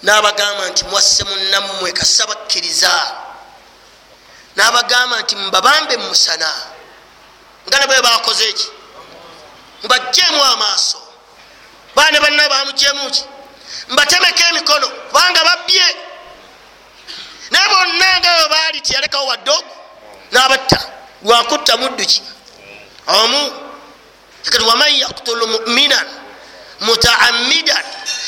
A: N'abagamba nti mwasse munnammwe kasa bakkiriza. N'abagamba nti mubabambe mu musana nga nabo bakoze eki? Mubaggyemu amaaso. Baana banna bamugyemu ki? Mbatemeko emikono kubanga babbye. Naye bonna nga bwe baali teyalekawo wadde ogu n'abatta. Lwakutta muddu ki? Omu. Kati waman yaktulu muminan mutaammidan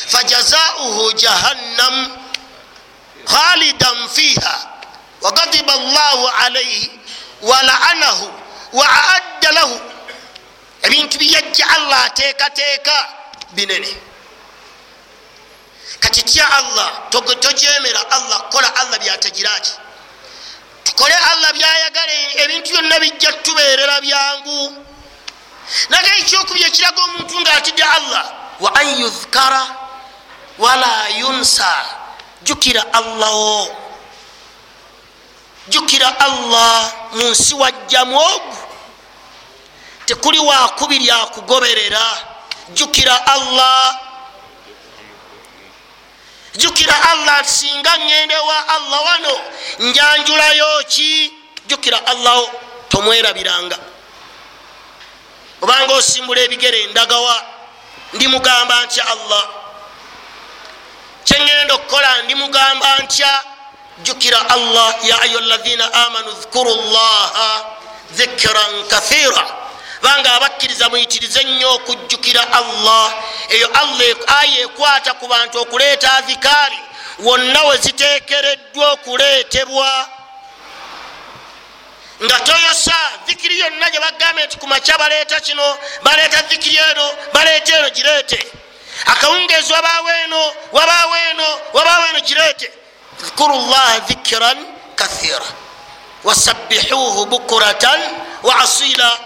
A: fajazauhu jahannam khalidan fiha waghadiba Allahu alayhi walaanahu waaadda lahu. Ebintu byajja Allah ateekateeka binene. Kati tya Allah, tojemera Allah, kola Allah byatagira ki? Tukole Allah byayagala, ebintu byonna bijja tubeerera byangu. Naye ekyokubiri ekiraga omuntu ng'atidde Allah, wa an yudhkara wala yunsa. Jjukira Allah wo, jjukira Allah mu nsi wajjamu ogu, tekuli wakubiri akugoberera. Jjukira Allah, jjukira Allah singa ŋŋende wa Allah wano njanjulayo ki? Jjukira Allah wo, tomwerabiranga. Obanga osimbula ebigere ndagawa, ndimugamba ntya Allah? Kyeŋŋenda okukola ndimugamba ntya? Jjukira Allah. Ya ayuha alladhina amanu dhkuru llaha dhikran kathira. Banga abakkiriza muyitirize nnyo okujjukira Allah. Eyo Allah aya ekwata ku bantu okuleeta adhikaari wonna we ziteekereddwa okuleetebwa, nga toyosa dhikiri yonna gye bagambye nti ku makya baleeta kino, baleeta dhikiri eno, baleeta eno, gireete. Akawungeezi wabaawo eno, wabaawo eno, wabaawo eno, gireete. Dhkuru llaha dhikran kathira wasabbihuuhu bukuratan wa asila.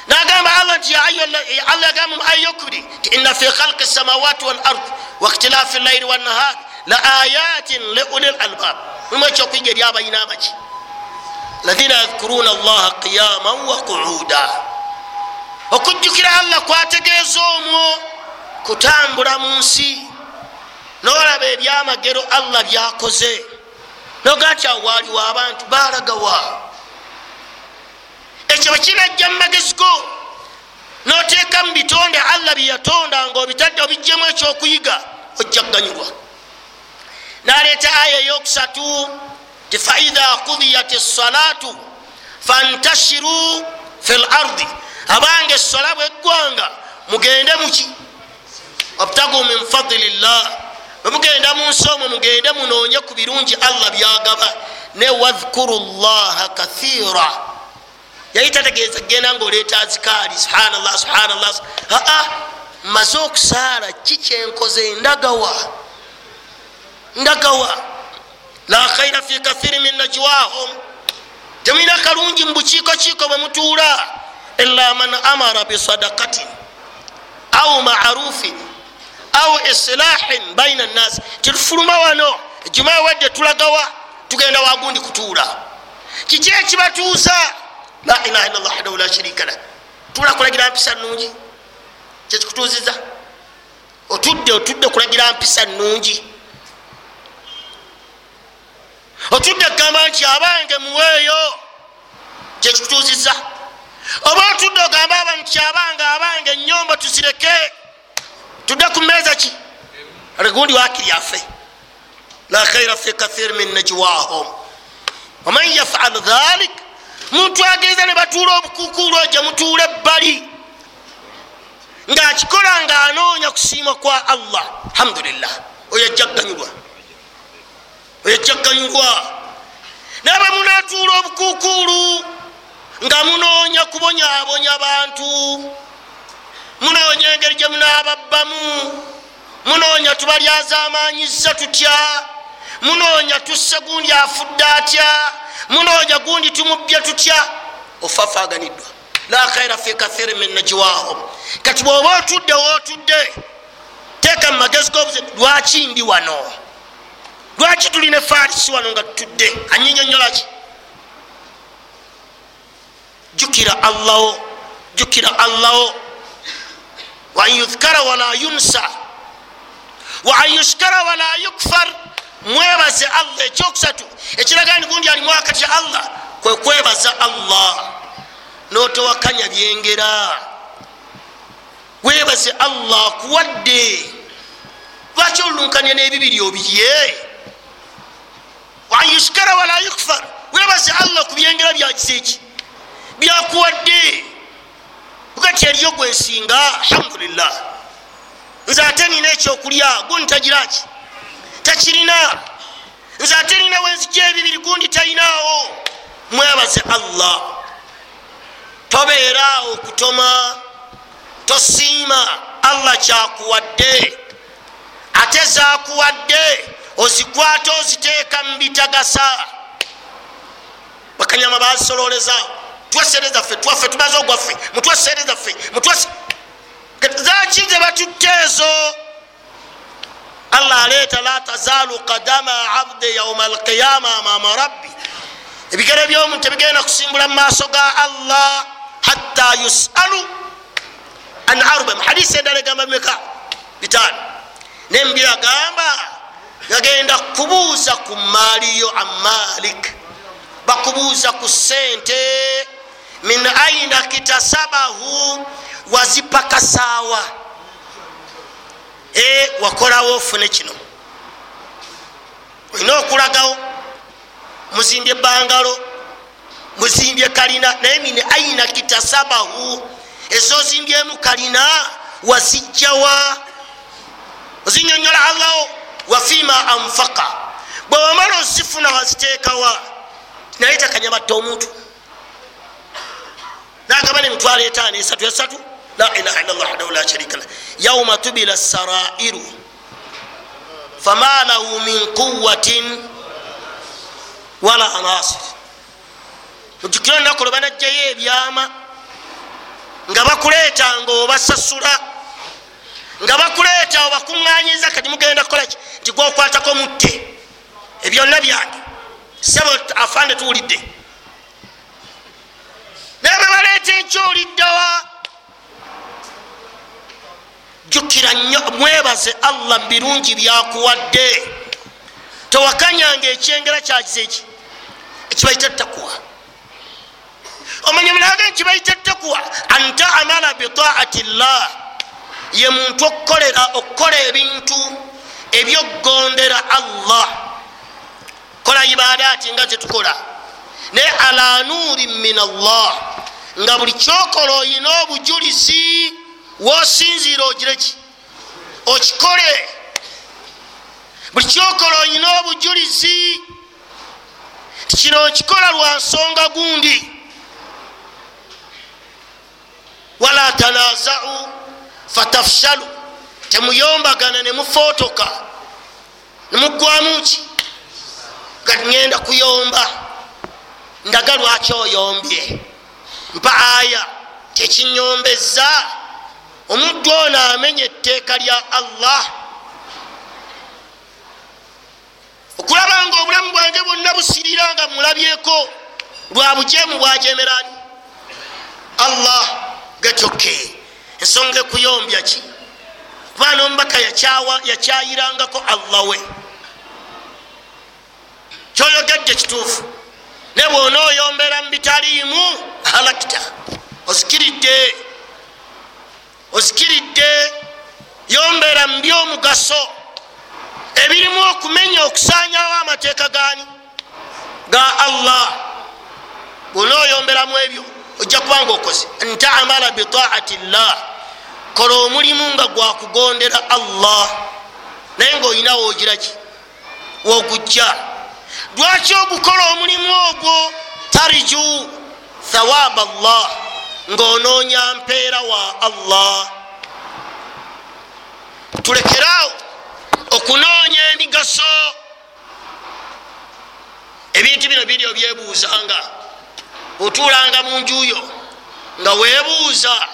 A: Nagamba Allah nti Allah yagamba mu aya eyokubiri nti inna fi khalqi samawati wal ard wa ikhtilafi llaili wannahar la ayatin li ulil albab. Mulimu ekyokuyiga eri abalina amaki, alladhina yadhkuruna allaha qiyaman wa qu'uda. Okujjukira Allah kwategeeza omwo kutambula mu nsi n'olaba ebyamagero Allah byakoze, noga nti awo waaliwo abantu baalagawa. Ekyo bwe kinajja mu magezi go n'oteeka mu bitonde Allah bye yatonda ng'obitadde obiggyemu ekyokuyiga, ojja kuganyulwa. N'aleeta aya eyokusatu ti faidha kudiyat essalatu fantashiru fi l ardi. Abange essola bweggwanga mugende muki? Wabtagu min fadlillah, bwemugenda mu nsi omwo mugende munoonye ku birungi Allah byagaba. Ne wadhkuru llaha kathira, yali tategeeza genda ngaoleeta azikaali subhanallah subhanallah. Aa, mmaze okusaala, ki kyenkoze? Ndagawa, ndagawa. La khaira fi kathiri min najwahum, temulina kalungi mu bukiikokiiko bwe mutuula. Illa man amara bisadakatin au marufin au islahin baina nnasi. Tetufuluma wano ejuma ewedde tulagawa, tugenda wagundi kutuula. Kiki ekibatuusa? La ilaha illallah wahdahu la sharika lah. Tuula kulagira mpisa nnungi, kyekikutuuziza. Otudde otudde kulagira mpisa nnungi, otudde kugamba nti abange muweeyo, kyekikutuuziza. Oba otudde ogamba abantu nti abange abange ennyombo tuzireke, tudde ku mmeeza ki gundi wakiri afe. La khaira fi kathir min najwahum waman yafal dhalik, muntu agenza ne batuula obukukuulu gye mutuula ebbali ng'akikola ng'anoonya kusiima kwa Allah, alhamdulillah, oyo ajja kuganyulwa, oyo ajja kuganyulwa. Naye bwe munaatuula obukukuulu nga munoonya kubonyaabonya bantu, munoonya engeri gye munaababbamu, munoonya tubalyazaamaanyiza tutya, munoonya tusse gundi afudde atya, munoonya gundi tumubbye tutya, ofafaaganiddwa. La khaira fi kathiri min najwahum. Kati bw'oba otudde wootudde, teeka mu magezi g'obuze, lwaki ndi wano? Lwaki tulina efaarisi wano nga tutudde? Anyinyonnyola ki? Jjukira Allaho, jjukira Allaho. Wa an yudhkara wala yunsa wa an yushkara wala yukfar. Mwebaze Allah. Ekyokusatu ekiraga nti gundi alimu akatya Allah kwe kwebaza Allah n'otowakanya byengera. Weebaze Allah akuwadde, lwaki olulunkanya n'ebibiri obirye? Wa an yushkara wala yukfar, weebaze Allah ku byengera byagize eki byakuwadde. Bukati eriyo gwensinga, alhamdulillah, nze ate nina ekyokulya gundi tagiraki takirina, nze ate nina wenzijja ebibiri gundi talinaawo. Mwebaze Allah. Tobeeraawo kutoma, tosiima Allah kyakuwadde, ate zakuwadde ozikwata oziteeka mu bitagasa. Bakanyama bazisololeza, tuwe sente zaffe, twaffe tumaze ogwaffe, mutuwe sente zaffe, mutuwe zaki ze batutte ezo. Allah aleeta la tazalu qadama abdi yauma alqiyama amama rabbi, ebigere by'omuntu tebigenda kusimbula mu maaso ga Allah hatta yusalu an arba. Hadisi endala egamba meka bitaano, nembira agamba gagenda kubuuza ku maaliyo amalik, bakubuuza ku sente, min aina kitasabahu, wazipakasaawa, e wakolawo ofune kino, olina okulagawo, muzimbye bangalo, muzimbye kalina, naye min aina kitasabahu, ezozimbyemu kalina wazijjawa, ozinyonyola Allaho. Wafima anfaka, bwe wamala ozifuna waziteekawa. Naye takanyabatta omuntu nagaba nemitwalo etaano esatu esatu. La ilaha illallah wahdahu la sharika lah. Yauma tubila sarairu fama lahu min quwatin wala nasir. Ojjukira olunaku lwe banajjayo ebyama nga bakuleeta nga obasasula, nga bakuleeta obakuŋŋaanyiza, kati mugenda kukolaki? Nti gwokwatako mutte ebyonna byange, sebo afande tuwulidde. Naye bwe baleeta enkya oliddawa? Jjukira nnyo, mwebaze Allah mu birungi byakuwadde. Towakanyanga ekyengera kyakize eki ekibayita takuwa. Omanya mulaga ekibayita takuwa, an taamala bitaati llah, ye muntu okukolera okukola ebintu ebyokugondera Allah, kola ibadaati nga zetukola, naye ala nuuri min Allah, nga buli kyokola oyina obujulizi wosinziira ogireki Okikole. Buli kyokola olina obujulizi ti kino okikola lwa nsonga gundi. Wala tanazau fatafshalu, temuyombagana nemufootoka nemugwamu ki kati ngenda kuyomba ndaga lwaki oyombye, mpa aya tekinyombeza. Omuddu ono amenya etteeka lya Allah. Okulaba nga obulamu bwange bwonna busirira nga mulabyeko lwa bujeemu bwajemerani Allah. Gatoke ensonga ekuyombya ki? Kuba n'omubaka yakyayirangako Allah we. Kyoyogedde kituufu, ne bw'onooyombera mu bitaliimu halakita, osikiridde osikiridde. Yombera mu by'omugaso ebirimu okumenya okusaanyawo amateeka gaani ga Allah. Bw'onooyomberamu ebyo ojja kuba nga okoze ntaamala bitaati llah, kola omulimu nga gwakugondera Allah, naye ngaolina woogiraki wogujja. Lwaki ogukola omulimu ogwo? Tariju thawaba Allah, ng'onoonya mpeera wa Allah. Tulekeraawo okunoonya emigaso. Ebintu bino biri obyebuuzanga, otuulanga mu njuyo nga weebuuza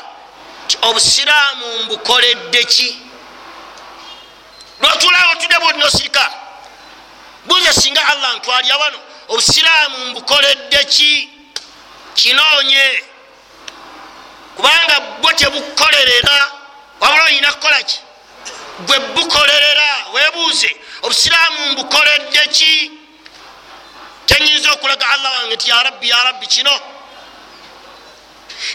A: ti obusiraamu mbukoledde ki? Lwotuulaawo otudde bwoti nosirika, buuza singa Allah ntwalya wano obusiraamu mbukoledde ki? Kinoonye, kubanga bwo tebukolerera, wabula olina kukola ki? Gwe bukolerera. Weebuuze obusiraamu mbukoledde ki? Kyenyinza okulaga Allah wange nti ya Rabbi, ya Rabbi kino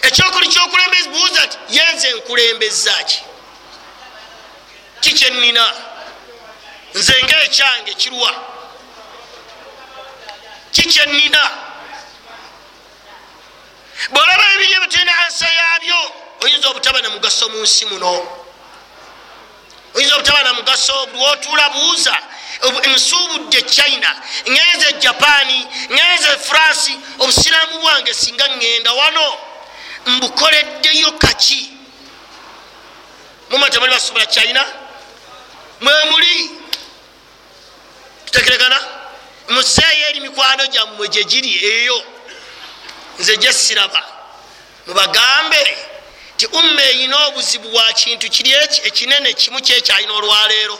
A: ekyokuli kyokulembeza. Buuza nti yenze nkulembeza ki? Kikyenina nze ngaekyange kirwa? Kikyenina? Bwolaba ebiri ebyo tulina ansa yabyo, oyinza obutaba na mugaso mu nsi muno, oyinza obutaba na mugaso. Lwotuula buuza, nsuubudde China, ngenze Japani, ngenze France, obusiraamu bwange singa ngenda wano mbukoleddeyo kaki? Muma temuli basobola China, mwemuli tutegeregana, muzeeyo eri mikwano gyammwe gye giri eyo, nze gye siraba. Mubagambe ti umma eyina obuzibu bwa kintu kiri eki ekinene kimu kyekyalina olwaleero,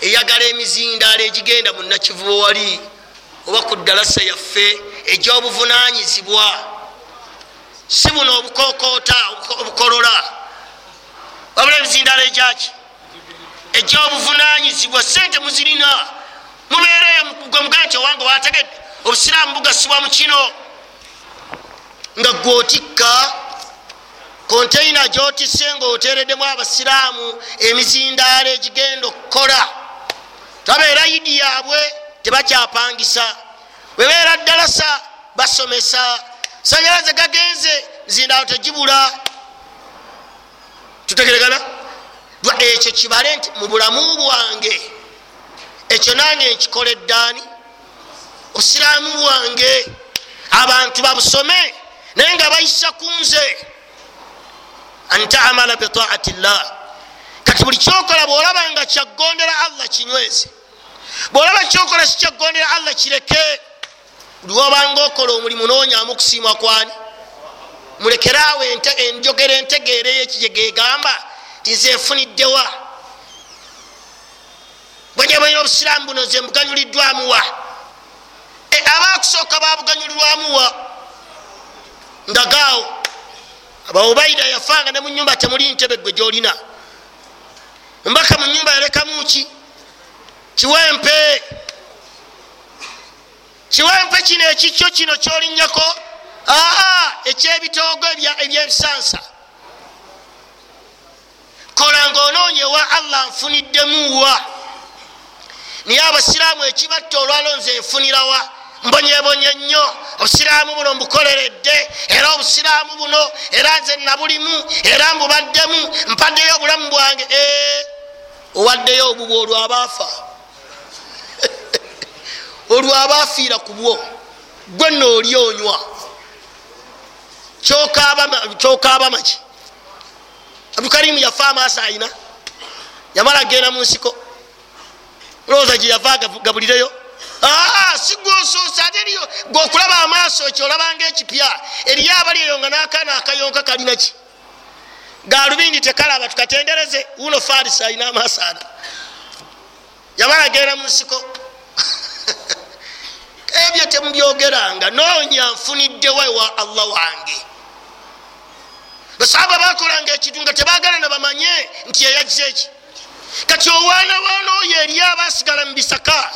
A: eyagala emizindaalo egigenda mu Nakivubo wali oba ku ddalasa yaffe egy'obuvunaanyizibwa, si buno obukokoota obukolola, wabula emizindaalo egyaki egy'obuvunaanyizibwa. Sente muzirina, mubeereyo gwe mugaa nti owange wategedde obusiraamu bugasibwa mu kino, nga gwotikka konteina gyotisse ngaoteereddemu abasiraamu emizindaalo egigenda okukola. Tabeera yidi yaabwe tebakyapangisa, webeera ddalasa basomesa, sanyalaze gagenze mizindaalo tegibula. Tutegeregana ekyo kibale nti mu bulamu bwange ekyo nange nkikoleddaani obusiraamu bwange abantu babusome naye nga bayisa ku nze. Antaamala bitaati llah, kati buli kyokola bwolaba nga kyagondera Allah kinyweze, bwolaba kyokola sikyagondera Allah kireke. Buli wobanga okola omulimu noonyamu okusiimwa kwani? Mulekeraawo enjogera entegeera eyekijegegamba ti nze nfuniddewa, bwenyebalina obusiraamu buno nze mbuganyuliddwamuwa? Abakusooka babuganyulirwamuwa? Ndagaawo Abaubaida yafanga ne mu nyumba temuli ntebe gwe gyolina, mbaka mu nyumba yalekamu ki? Kiwempe. Kiwempe kino ekikyo kino kyolinnyako, aa ekyebitoogo ebyebisansa. Kola ngaonoonye wa Allah nfuniddemuwa. Naye abasiraamu ekibatta olwalo nze nfunirawa? Mbonyebonye nnyo, obusiraamu buno mbukoleredde, era obusiraamu buno era nze nabulimu, era mbubaddemu, mpaddeyo obulamu bwange. Owaddeyo obubwo olwabaafa, olwabaafiira ku bwo, gwe nno oli onywa kyokaaba maki. Abdukarimu yafa amaaso ayina, yamala genda mu nsiko, olowooza gye yava gabulireyo? Si gwosoose, ate eriyo gweokulaba amaaso ekyo olabanga ekipya. Eriyo abali eyo nga n'akaana akayonka kalinaki, galubindi tekalaba, tukatendereze uno Farisi ayina amaaso ana, yamala genda mu nsiko. Ebyo temubyogeranga, noonya nfuniddewo ewa Allah wange. Basahaba bakolanga ekintu nga tebagala na bamanye nti yeyajja eki. Kati owaana waana oyo eri abasigala mu bisaka,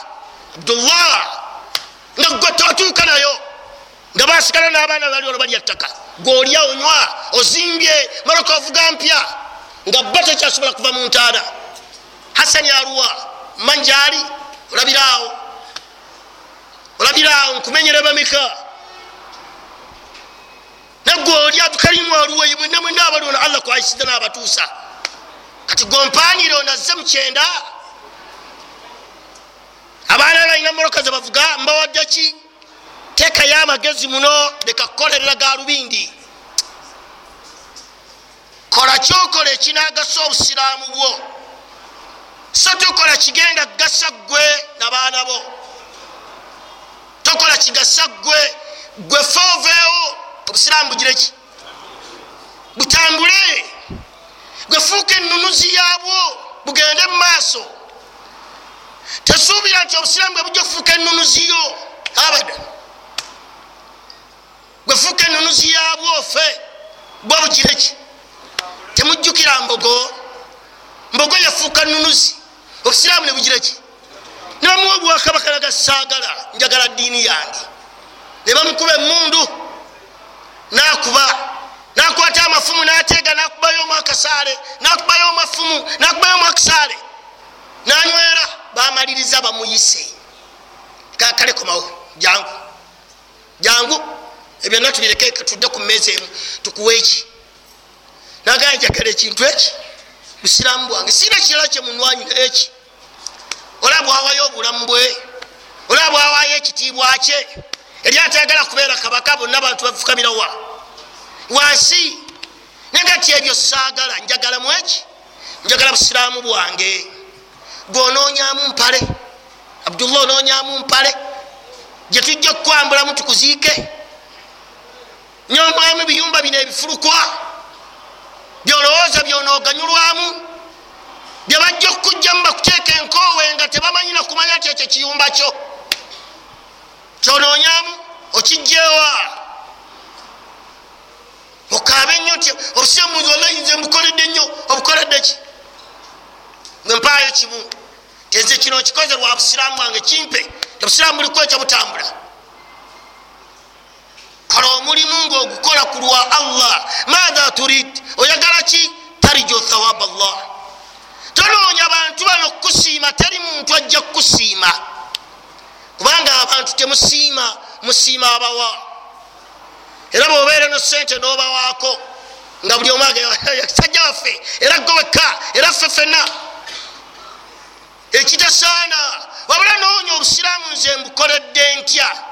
A: Abdullah, nga gwe totuuka nayo, nga basigala n'abaana bali olwo balya ttaka, gweolya onywa ozimbye maloka ovuga mpya, nga ba tekyasobola kuva mu ntaana. Hasani aluwa manjaali, olabiraawo olabiraawo nkumenyere bameka nagwe oli Abdukarimu aluwa, mwenna mwenna abaliona Allah kwayisiza n'abatuusa. Kati gompanire onazze mukyenda, abaana balina mmotoka ze bavuga, mbawadde ki? Teekayo amagezi muno, leka kukolerera galubindi. Kola kyokola ekinagasa obusiraamu bwo, so tokola kigenda kugasa ggwe n'abaana bo. Tokola kigasa ggwe, ggwe fe oveewo obusiraamu bugire ki? Butambule. Gwe fuuka ennunuzi yaabwo, bugende mu maaso. Tesuubira nti obusiraamu bwe bujja okufuuka ennunuzi yo, abada. Gwe fuuka ennunuzi yaabwo fe bwe bugire ki? Temujjukira mbogo, mbogo yafuuka nnunuzi, obusiraamu ne bugira ki? Ne bamuwa obwakabaka naga saagala, njagala ddiini yange. Ne bamukuba emmundu n'akuba, nakwata amafumu n'ateega, n'akubayo omu akasaale, n'akubayo amafumu, n'akubayo omu akasaale, n'anywera. Bamaliriza bamuyise, kakale komawo, jangu jangu, ebyo byonna tubireke, tudde ku mmeeza emu tukuwe eki. Nagamba njagala ekintu eki, busiraamu bwange, sirina kirala kye munwanyira eki. Olaba bwawayo obulamu bwe, olaba bwawayo ekitiibwa kye. Eri atayagala kubeera kabaka, bonna bantu bafukamira wa wansi. Naye ti ebyo saagala, njagala mu eki, njagala busiraamu bwange. Gwonoonyamu mpale, Abdullah, onoonyamu mpale gye tujja okukwambulamu tukuziike. Nyomwamu ebiyumba bino ebifulukwa byolowooza byonooganyulwamu, bye bajja okukujjamu bakuteeka enkoowe nga tebamanyi na kumanya nti ekyo kiyumba kyo kyonoonyamu okijjeewa. Okaabe nnyo nti obusiraamu wallahi nze mbukoledde nnyo. Obukoledde ki? Mwe mpaayo kimu, tenze kino nkikoze lwa busiraamu bwange, kimpe. Obusiraamu buliko ekyo butambula. Kola omulimu ng'ogukola ku lwa Allah. Maatha turid, oyagala ki? Tariju thawab Allah. Tonoonya bantu bano kukusiima, teri muntu ajja kukusiima, kubanga abantu temusiima, musiima abawa. Era bw'obeera no ssente n'obawaako nga buli omu sajja waffe, era gwe wekka, era ffe ffenna, ekitasaana. Wabula noonya obusiraamu nze mbukoledde ntya.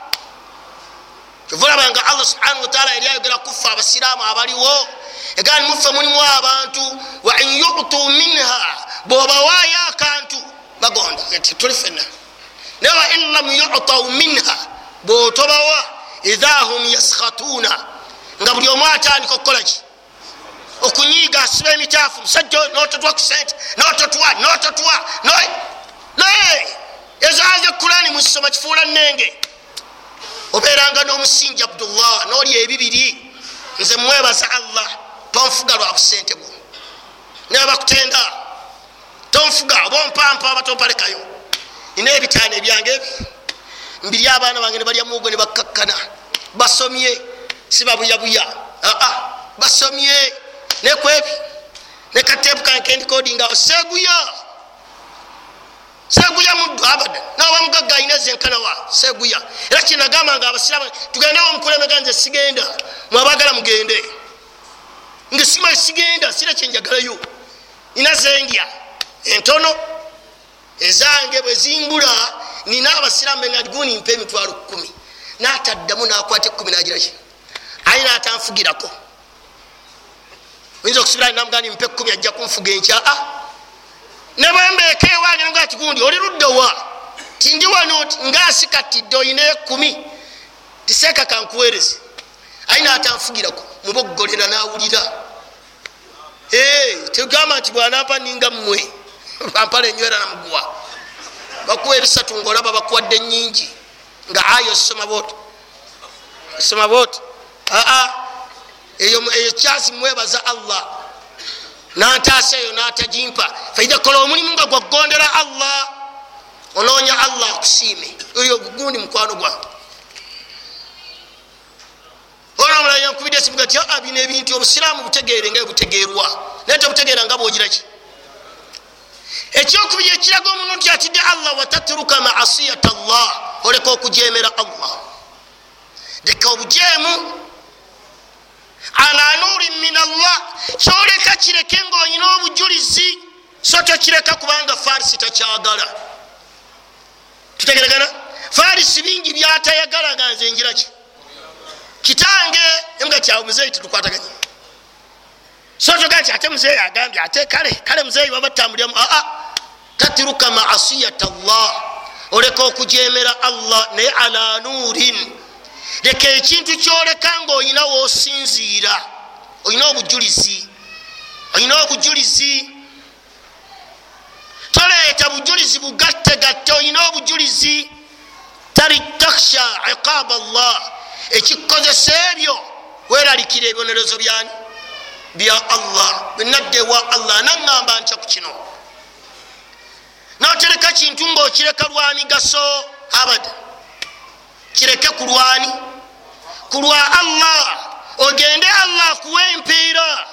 A: Kyova olaba nga Allah subhanahu wataala yali ayogera kuffe abasiraamu abaliwo, egamba ni muffe mulimu abantu wa in yutu minha, bw'obawaayo akantu bagonda tuli ffenna, naye wa in lam yutau minha, bw'otobawa idha hum yaskhatuna, nga buli omu atandika okukola ki? Okunyiiga, asiba emitaafu, musajja n'ototwa ku sente, n'ototwa n'ototwa naye ezo aya Kurani muzisoma kifuula nnenge. Obeeranga n'omusingi Abdullah, n'oli ebibiri. Nze mwebaza Allah, tonfuga lwa busente bwo, naye bakutenda tonfuga, oba ompampa oba tompalekayo. Nina ebitaano ebyange ebi mbiri, abaana bange ne balya muwogo ne bakkakkana, basomye, si babuyabuya, aa basomye nekwebi nekatepu kange kendikodinga awo, seguya seguya muddu abada, nawe mugagga alina zenkanawa seguya. Era kyenagamba nga abasiraamu tugendewo omukulembeze, nze sigenda, mwabagala mugende, nge sima sigenda, sira kyenjagalayo, nina zendya Entono ezange bwe zimbula nina abasiraamu benga guni mpa emitwalo kkumi. N'ataddamu n'akwata ekkumi n'agira ki? Aye n'atanfugirako. Oyinza okusubira namugamba mpa ekkumi ajja kunfuga enkya. Ah! Ne bwe mbeeka ewange nga ti gundi oli ludda wa? Ti ndi wano ng'asikatidde oyina ekkumi. Tiseeka kankuweereze. Aye n'atanfugirako muboggolera n'awulira. Ee, tegamba nti bw'anampa ninga mmwe. Bampala enywera na muguwa. Bakuwa ebisatu ng'olaba bakuwadde nnyingi. Nga ayo soma bw'oti. Soma bw'oti. Aa, eyo eyo kyasi mwebaza Allah. N'antaasa eyo n'atagimpa. Faida kola omulimu nga gwagondera Allah. Onoonya Allah akusiime. Oyo gundi mukwano gwange. Olwo omulala yankubidde esimu gati aa bino ebintu obusiraamu butegeere nga butegeerwa. Naye tobutegeera nga bw'ogira ki? Ekyokubiri ekiraga omuntu nti atidde Allah, watatruka maasiyata Allah, oleka okujeemera Allah. Leka obujeemu ala nurin min Allah, kyoleka kireke ng'olina obujulizi, so tokireka kubanga Farisi takyagala. Tutegeregana? Farisi bingi byatayagala nga nze ngira ki? Kitange nga kyawe muzeeyi tetukwataganye. So togaa nti ate muzeeyi agambye ate kale kale muzeeyi baba batambuliramu. Aa, tatruka maasiyata Allah, oleka okujeemera Allah naye ala nurin. Leka ekintu kyoleka ng'olina w'osinziira, olina obujulizi, olina obujulizi. Toleeta bujulizi bugattegatte, olina obujulizi. Tari takhsha iqab Allah, ekikozesa ebyo weeralikira ebibonerezo byani bya Allah. Bwe wa Allah naŋŋamba ntya ku kino. N'otereka kintu ng'okireka lwa migaso abada, kireke ku lwani? Ku lwa Allah, ogende Allah akuwe empeera.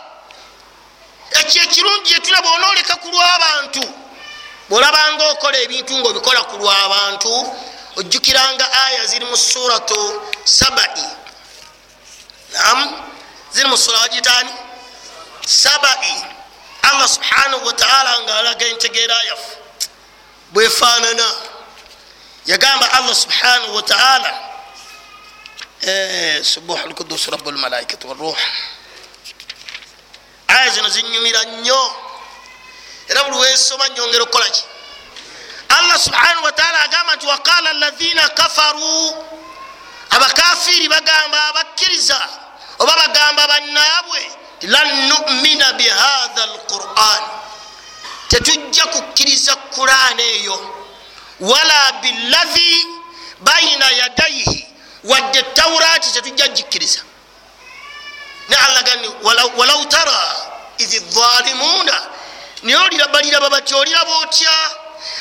A: Ekyo ekirungi gyetulaba onooleka ku lw'abantu. Bw'olabanga okola ebintu ng'obikola ku lw'abantu, ojjukiranga aya ziri mu suratu Sabai. Naam, ziri mu sura gitaani Sabai. Allah subhanahu wa ta'ala ng'alaga entegeera yaffe bwefaanana. Yagamba Allah subhanahu wa ta'ala, subuhu lkudus rabbul malaikati waruh. Aya zino zinyumira nnyo era buli wensoma nyongera okukola ki? Allah subhanahu wa ta'ala agamba nti waqala alladhina kafaru, abakafiri bagamba abakkiriza oba bagamba bannaabwe, lan nu'mina bihadha alquran, tetujja kukkiriza Qur'an eyo, wala billadhi baina yadayhi, wadde Taurati tetujja gikkiriza. Ne Allah gani walau tara idh adh-dhalimuna, naye oliraba batya, oliraba otya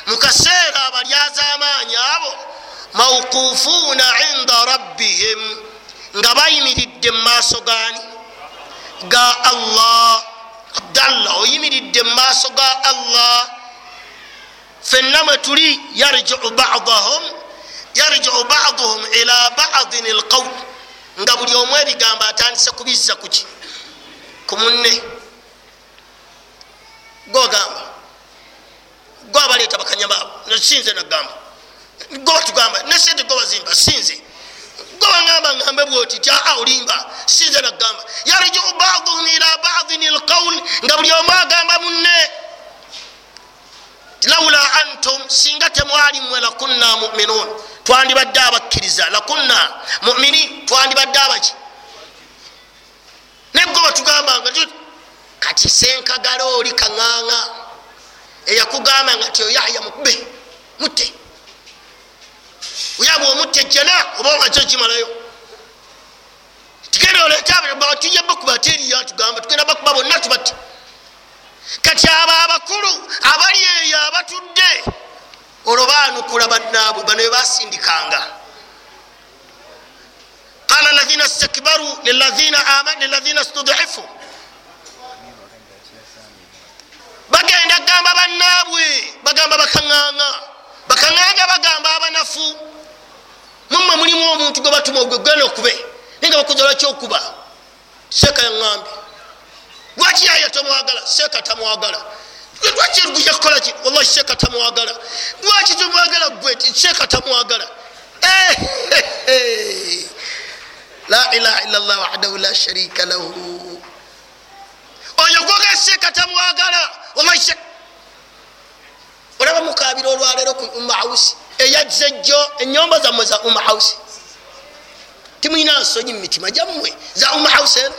A: mu kaseera abalyazaamaanyi abo mawqufuuna inda rabbihim, nga bayimiridde mu maaso gaani? Ga Allah. Abdallah, oyimiridde mu maaso ga Allah. Fenna mwe tuli yarji'u ba'dahum yarji'u ba'duhum ila ba'din alqawl, nga buli omu ebigambo atandise kubizza kuki? Ku munne. Gogamba gwe abaleeta bakanyama abo, sinze nagamba, gwe batugamba ne sente gwe bazimba, sinze gwe bangamba ngambe bwoti ti aa olimba, sinze nagamba. Yarji'u ba'duhum ila ba'din alqawl, nga buli omu agamba munne, laula antum, singa temwali mmwe, lakunna mu'minun, twandibadde abakkiriza, lakunna mu'minin, twandibadde abaki? Naye gwe batugambanga. Kati senkagala oli kaŋŋaŋa eyakugamba nga ti Yahya mukube mutte, oyaba omutte ejjana oba omaze okimalayo, tugenda oleeta tujja bakuba ate eriyo tugamba tugenda bakuba bonna tubatte. Kati abo abakulu abali eyo abatudde olwo baanukula bannaabwe bano be basindikanga. Qala alladhina istakbaru lilladhina amanu lilladhina istud'ifu, bagenda gamba bannaabwe, bagamba bakaŋŋaŋa, bakaŋŋaŋa bagamba abanafu, mummwe mulimu omuntu gwe batuma ogwe genda okube, naye nga bakuza lwaki okuba? Seeka yaŋŋambye. Lwaki Yahya tomwagala? Seeka tamwagala. Lwaki yakukola ki? Wallahi sheeka tamwagala. Lwaki tumwagala gwe? Sheeka tamwagala. La ilaha illa Allah wahdahu la sharika lahu. Oyo gwoga sheeka tamwagala. Wallahi sheeka. Olaba mukabira olwaleero ku Umma House eyazze jjo ennyomba zammwe za Umma House. Timulina nsonyi mu mitima gyammwe za Umma House eno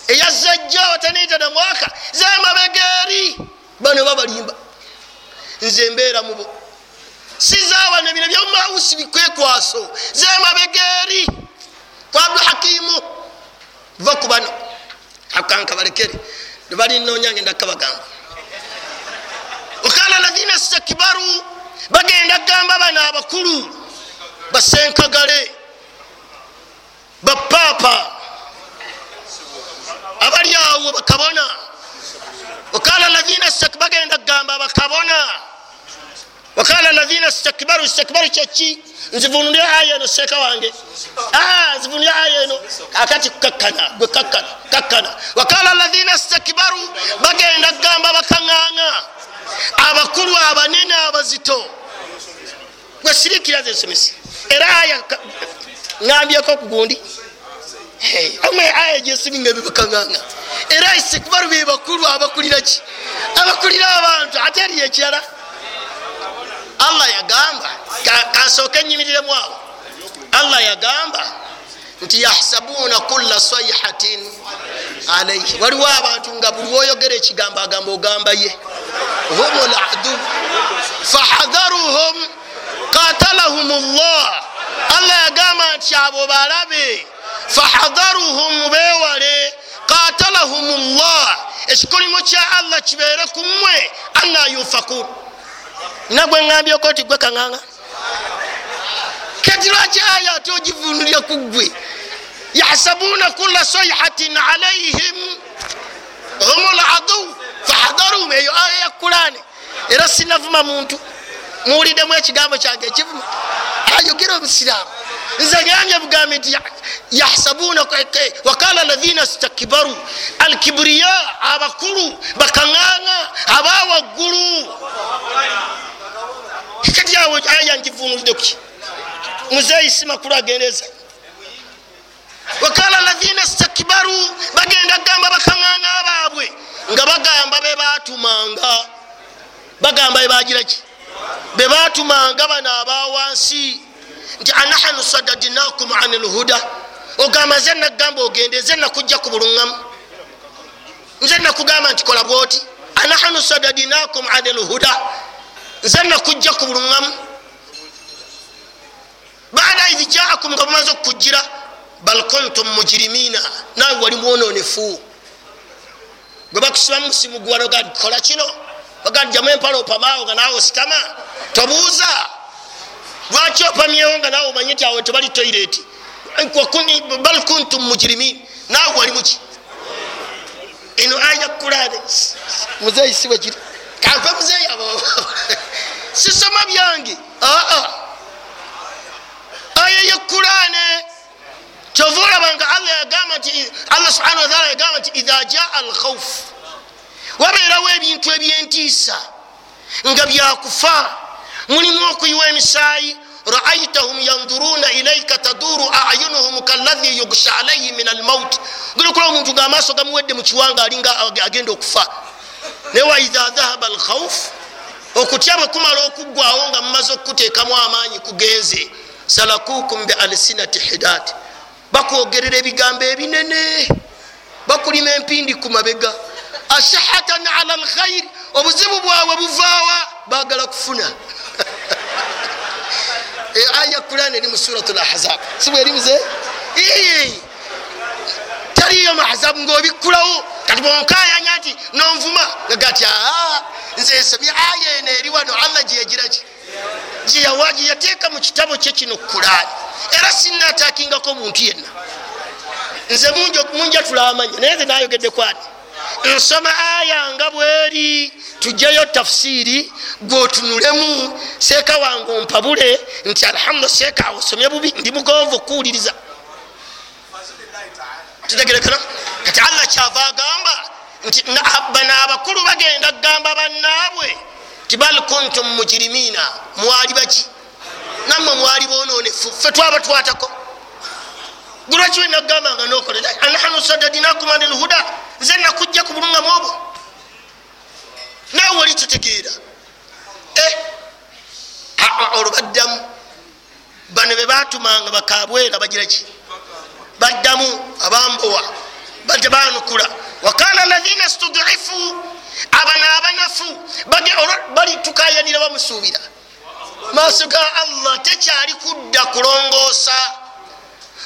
A: eyazze jjo teniita na mwaka zemabega eri bano babalimba. Nze mbeera mubo sizaawana bino bya Umma House bikwekwaso zemabega eri kwa Abdul Hakimu. Va ku bano akanka balekere balinoonya ngenda kabagamba. Wakala ladhina stakbaru, bagenda gamba bano abakulu basenkagale bapapa abali awo bakabona. Wakala ladhina stakbaru, bagenda gamba bakabona. Wakala ladhina stakbaru, stakbaru kyeki? Nzivunulye aya eno seeka wange, ah nzivunulye aya eno akati kakkana gwe kakkana kakkana. Wakala ladhina stakbaru, bagenda gamba bakaŋŋaŋa abakulu abanene abazito. Gwe sirikira ze nsomesa era aya ŋambyeko ku gundi amwe aya gyesiminga ebibakaŋŋaŋa era istikbaru be bakulu abakulira ki? Abakulira abantu. Ate eriyo ekirala Allah yagamba, kansooke nnyimiriremu awo. Allah yagamba nti yahsabuna kulla sayhatin alayhi. Waliwo abantu nga buli woyogera ekigambo agamba ogamba ye. Hum al-adu fahadharuhum qatalahum Allah. Allah yagamba nti abo balabe, fahadharuhum, bewale, qatalahum Allah, ekikolimo kya Allah kibeere ku mmwe, anna yufakun. Nagwe ŋŋambyeko nti gwe kaŋŋaŋa kati lwaki aya ate ogivunulira ku ggwe? Yahsabuna kulla sayhatin alayhim hum al-adu fahadharuhum. Eyo aya ya Kurani era sinavuma muntu. Muwuliddemu ekigambo kyange ekivuma ayogera omusiraamu. Nze ngambye bugambi nti yahsabuna wakala ladhina stakbaru, alkibriya, abakulu bakaŋŋaŋa abawaggulu. Kati awo aya ngivunulidde kuki? Muzeeyi si makulu agendeza. Wakala ladhina stakbaru, bagenda gamba bakaŋŋaŋa baabwe nga bagamba be baatumanga, bagamba be bagira ki? Be baatumanga bano abawansi nti anahanu sadadnakum anil huda. Ogamba nze nagamba ogende, nze nakujja ku buluŋŋamu, nze nakugamba nti kola bwoti. Anahanu sadadnakum anil huda, nze nakujja ku buluŋŋamu. Baada idh jaakum, nga bumaze okukujjira, bal kuntum mujrimina, naawe wali mwononefu. Gwe bakusibamu musimu guwano ga kola kino, bagajjamu empala opamaawo nga naawe ositama tobuuza lwaki opamyewo nga naawe omanyi nti awo tebali toyireti. Bal kuntum mujrimin, naawe wali muki? Eno aya Kurani muzeeyi si bwe kiri. Kampe muzeeyi abo sisoma byange. Aa aya ya Kurani kyova olaba nga Allah yagamba nti, Allah subhanahu wa taala yagamba nti idha jaa al-khawf, wabeerawo ebintu ebyentiisa nga byakufa, mulimu okuyiwa emisaayi. Raaitahum yanduruna ilaika taduru ayunuhum kalladhi yughsha alayhi min almaut. Gulikola omuntu nga amaaso gamuwedde mu kiwanga alinga agenda okufa. Naye wa idha dhahaba alkhawf, okutya bwe kumala okuggwawo nga mumaze okuteekamu amaanyi kugenze, salakukum bi alsinati hidat, bakwogerera ebigambo ebinene, bakulima empindi ku mabega. Ashahatan ala alkhair, obuzibu bwabwe buvaawa, baagala kufuna. Aya Kurani eri mu Suratul Ahzab, si bwe eri muze? Taliyo mu Ahzab ng'obikkulawo. Kati bw'onkayanya nti nonvuma nga gati aa nze nsomye aya eno eri wano Allah gye yagira ki gye yawa gye yateeka mu kitabo kye kino Kurani. Era sinnaatakingako muntu yenna, nze munja tulamanya, naye nze naayogedde kwani nsoma aya nga bweri, tujjayo tafsiri gwotunulemu. Seeka wange ompabule nti alhamdulillah seeka awo osomye bubi, ndi mugonvu okuwuliriza. Tutegerekana? Kati Allah kyava agamba Nti bano abakulu bagenda kugamba bannaabwe ti bal kuntum mujrimina, mwali baki? Nammwe mwali bononefu, ffe twabatwatako. Lwaki wenagamba nga nokola anahanu sadadinakum anil huda, nze nakujja ku bulungamu obwo, naawe oli tutegeera. Olwo baddamu bano be batumanga bakabwera bagira ki? Baddamu abambowa batebanukula. Wakala alladhina studifu, abana abanafu bali tukayanira bamusuubira maaso ga Allah, tekyali kudda kulongoosa.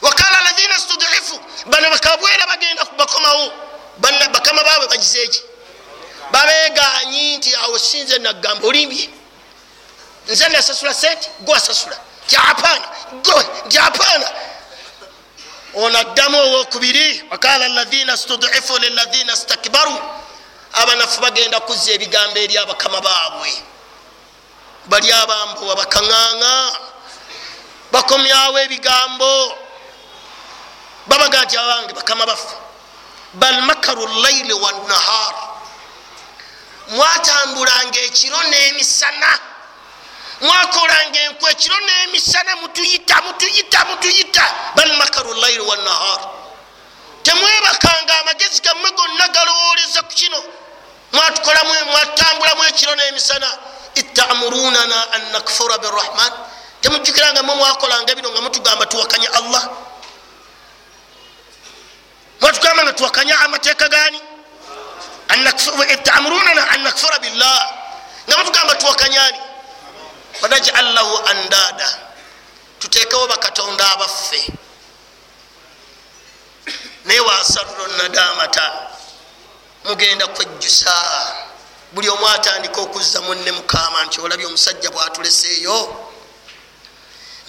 A: Wakala alladhina studifu, bano bakabwera bagenda bakomawo bakama baabwe bagizeeki? Babeeganyi nti awo sinze nagamba olimbye, nze nasasula sente gwe wasasula, japaana gwe japaana. Ono addamu owokubiri, wakala alladhina studifu lilladhina stakbaru, abanafu bagenda kuzza ebigambo eri abakama baabwe bali abambowa bakaŋŋaŋa, bakomyawo ebigambo babaga nti abange bakama baffe, bal makaru llaili wannahar, mwatambulanga ekiro n'emisana, mwakolanga enkwe ekiro n'emisana, mutuyita mutuyita mutuyita. Bal makaru llaili wannahar, temwebakanga, amagezi gammwe gonna galowooleza ku kino, mwatambulamu ekiro n'emisana. Itamurunana an nakfura birrahman, temujjukiranga mwe mwakolanga bino nga mutugamba tuwakanya Allah, mwatugamba nga tuwakanya amateeka gani? Itamurunana an nakfura billah, nga mutugamba tuwakanyani? Wanajal lahu andada, tuteekewo bakatonda abaffe. Naye wasarru nadamata, mugenda kwejjusa. Buli omu atandika okuzza munne mukama nti olabye omusajja bwatuleseeyo,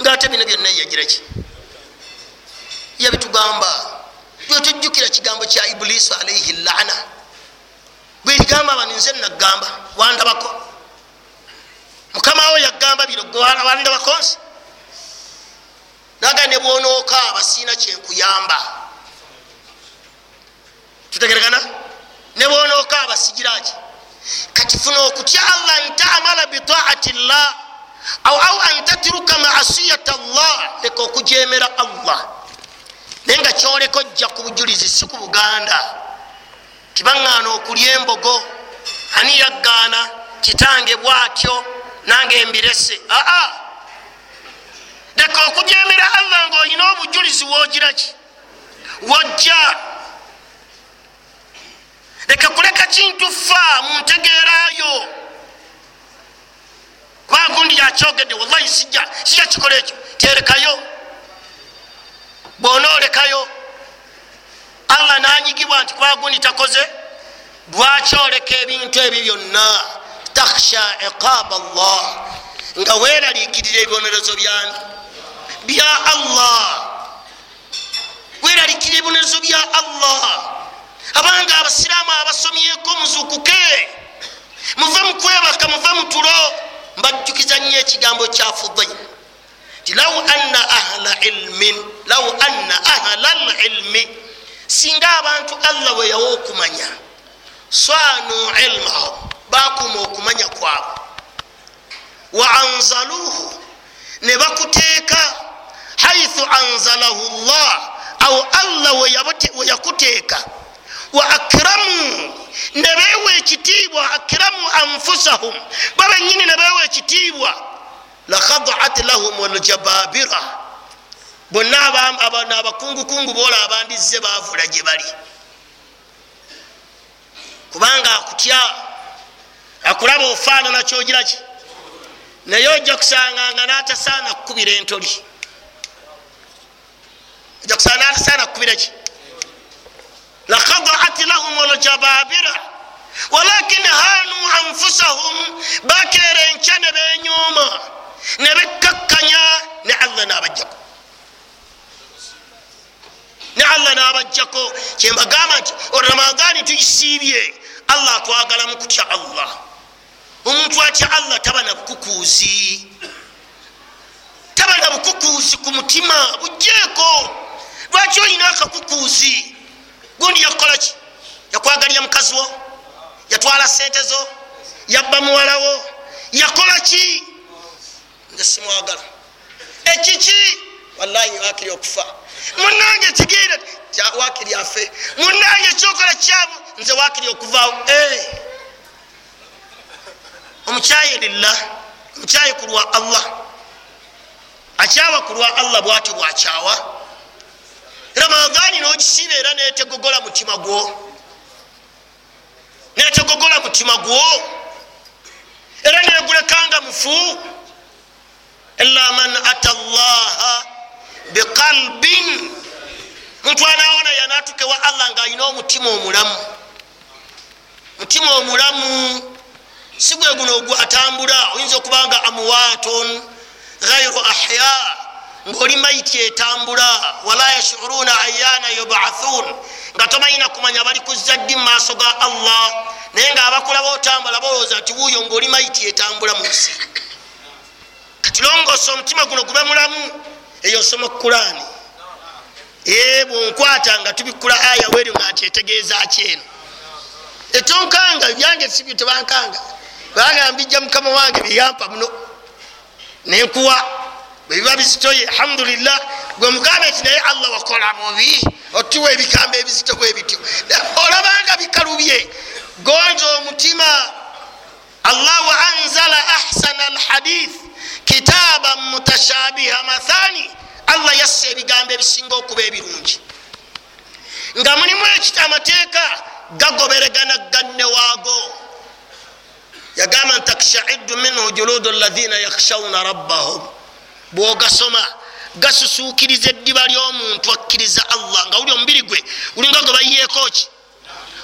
A: ngaate bino byonna yagira ki? Yabitugamba. Tujjukira kigambo kya Ibulisu alaihi laana, bwerigamba bano nze nagamba wandabako, mukama we yagamba bino wandabako nsi naga ne bwonookaaba siina kyenkuyamba. Tutegeregana? Ne bwonookaaba sigiraki? Kati funa okutya Allah ntamala bitaati llah au au an tatruka maasiyata llah, leka okujemera Allah. Naye nga kyoleka ojja ku bujulizi, si ku Buganda tibaŋŋaana okulya embogo, ani yaggaana kitange bwatyo nange mbirese. Aa, leka okujemera Allah ng'olina obujulizi woogiraki wojja. Leka kuleka kintu fa mu ntegeerayo, kuba gundi yakyogedde wallahi sijja sijja kikola ekyo, terekayo. Bw'onoolekayo Allah n'anyigibwa nti kuba gundi takoze, lwaki oleka ebintu ebyo byonna? Takhsha iqaba Allah, nga weeraliikirira ebibonerezo byani? Bya Allah. Weeraliikirira ebibonerezo bya Allah. Abanga abasiraamu abasomyeko muzuukuke, muve mu kwebaka, muve mu tulo. Mbajjukiza nnyo ekigambo kya Fudayl nti law anna ahla ilmin, law anna ahla lilmi, singa abantu Allah we yawa okumanya, swanu ilmahum, bakuuma okumanya kwabwe, wa anzaluhu, ne bakuteeka haithu anzalahu llah, awo Allah we yakuteeka, wa akramu, ne beewa ekitiibwa, akramu anfusahum, babennyini ne beewa ekitiibwa, lakhadat lahum aljababira, bonna abakungukungu boola abandizze baavula gye bali, kubanga akutya, akulaba ofaanana kyogiraki, naye ojja kusanga nga n'atasaana kukubira entoli, ojja kusanga n'atasaana kukubira ki? Lakhadat lahum aljababira walakin hanu anfusahum, bakeera enkya ne benyooma ne bekkakkanya, ne Allah n'abajjako, ne Allah n'abajjako. Kyembagamba nti Ramadhani tuyisiibye, Allah atwagalamu kutya Allah. Omuntu atya Allah taba na bukukuuzi, taba na bukukuuzi ku mutima, bugjeeko. Lwaki olina akakukuuzi? Gundi yakukola ki? Yakwagalira mukazi wo? Yatwala sente zo? Yabba muwalawo? Yakola ki? Nze simwagala. Ekiki? Wallahi wakiri okufa. Munange kigira wakiri afe. Munange kyokola kyamu nze wakiri okuvaawo. Eh. Omukyaye lillah, omukyaye kulwa Allah. Akyawa kulwa Allah bwatyo bwakyawa. Ramadhani n'ogisiba era netegogola mutima gwo, netegogola mutima gwo, era negulekanga mufu. Illa man ata Allaha biqalbin, muntu anaona yanatuke wa Allah nga alina omutima omulamu. Mutima omulamu si gwe guno ogwo atambula, oyinza okubanga amwaton ghayru ahya, ng'oli maiti etambula. Wala yashuruna ayana yubathun, nga tomanyina kumanya bali kuzza ddi mu maaso ga Allah, naye nga abakulaba otambula balowooza nti wuuyo, ng'oli maiti etambula mu nsi. Kati longoosa omutima guno gube mulamu. Eyo nsoma Kurani bwonkwata nga tubikula aya weri nga nti etegeeza ki eno etonkanga byange sibyo tebankanga, bagamba mbijja mukama wange byeyampa muno nenkuwa bwebiba bizitoye alhamdulillah. Gwe mugambe nti naye Allah wakola bubi otuwa ebigambo ebizito bwe bityo, olabanga bikalubye. Gonza omutima. Allahu anzala ahsana alhadith kitaban mutashabiha mathani, Allah yassa ebigambo ebisinga okuba ebirungi nga mulimu ekita amateeka gagoberegana ganne waago. Yagamba nti takshaidu minhu juludu alladhina yakhshawna rabbahum, bwogasoma gasusuukiriza eddiba ly'omuntu akkiriza Allah, nga wuli omubiri gwe gulinga gwe bayiyeeko ki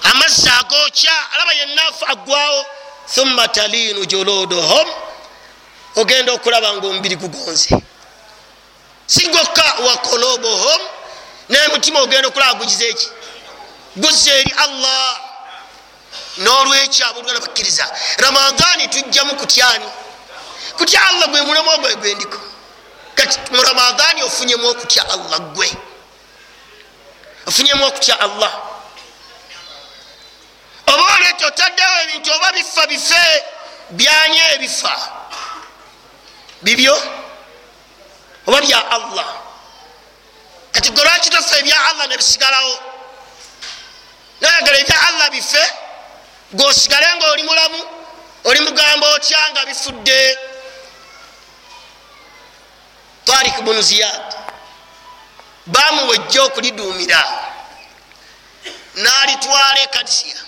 A: amazzi agookya, alaba yenna aggwawo. Thumma talinu juluduhum, ogenda okulaba nga omubiri gugonze si gwokka, wa qulubuhum, n'emutima ogenda okulaba gugize eki guzze eri Allah. N'olwekyo abooluganda bakkiriza, Ramadhani tujjamu kutyani? Kutya Allah gwe mulamu ogwe gwendiko. Kati mu Ramadhani ofunyemu okutya Allah, gwe ofunyemu okutya Allah. Oba olwekyo otaddewo ebintu oba bifa bife byanye ebifa bibyo oba bya Allah. Kati gwe lwaki tofa ebya Allah nebisigalawo? Nayagala ebya Allah bife gwosigale nga oli mulamu, oli mugamba otya nga bifudde. Tariq bunu Ziyad bamuwejja okuliduumira n'alitwala e Kadisiya,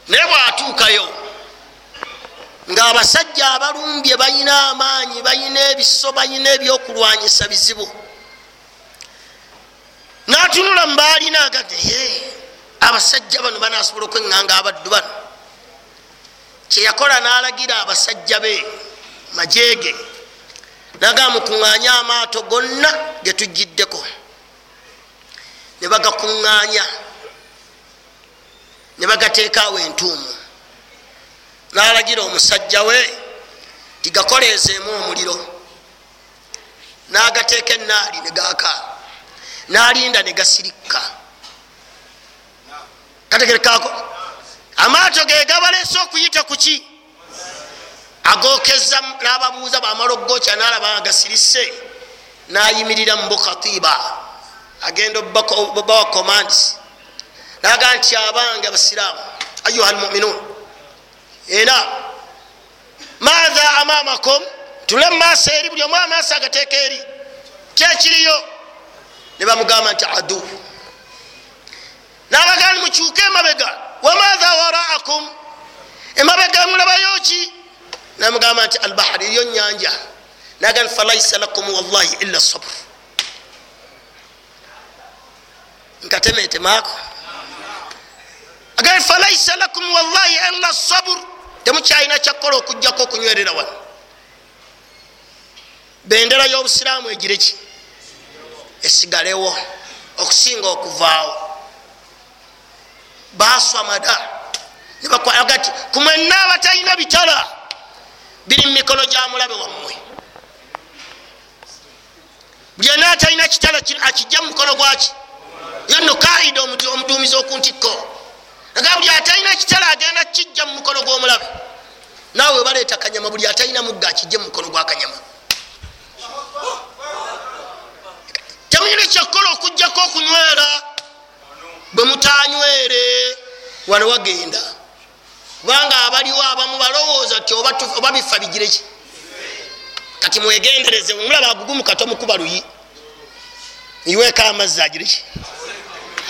A: naye bw'atuukayo ng'abasajja abalumbye balina amaanyi, balina ebiso, balina ebyokulwanyisa bizibu. N'atunula mu baalina agage, abasajja bano banasobola okweŋŋanga abaddu bano. Kyeyakola n'alagira abasajja be majeege, naga mukuŋŋaanya amaato gonna ge tujjiddeko, ne bagakuŋŋaanya ne bagateekaawo entuumu. N'alagira omusajja we tigakoleezeemu omuliro, n'agateeka ennaali ne gaaka, n'alinda ne gasirikka. Kategerekaako amaato ge gabaleese okuyita ku ki agokeza, n'ababuuza bamala okugokya, n'alaba nga gasirise, n'ayimirira mu bukatiba agenda obawa commands, n'agamba nti abange abasiraamu, ayuha almuminun, ena maatha amamakum, tule mumaaso eri, buli omu amaaso agateeka eri kyekiriyo. Ne bamugamba nti adu, n'abagamba mukyuke emabega, wamaatha waraakum, emabega mulabayo ki? Namugamba nti albahari, eriyo nyanja. Nagamba falaisa lakum wallahi illa sabr. Nkatemetemaako agamba falaisa lakum wallahi illa sabr, temukyalina kyakkola okujjako okunywerera wano. Bendera y'obusiraamu egire ki? Esigalewo okusinga okuvaawo. Baswamada nebakwagati kumwenna abatalina bitala biri mu mikono gya mulabe wammwe. Buli yenna atalina kitala akijja mu mukono gwaki? Yonno kaida omuduumizi okuntikko nga buli atalina kitala agenda kijja mu mukono gw'omulabe. Naawe baleeta kanyama, buli atalina mugga akijje mu mukono gwa kanyama. Temuyina kyakkola okujjako okunywera. Bwe mutanywere wano wagenda, kubanga abaliwo abamu balowooza ti oba bifa bigireki. Kati mwegendereze, omulaba agugumu kato mukuba luyi iweka amazzi agireki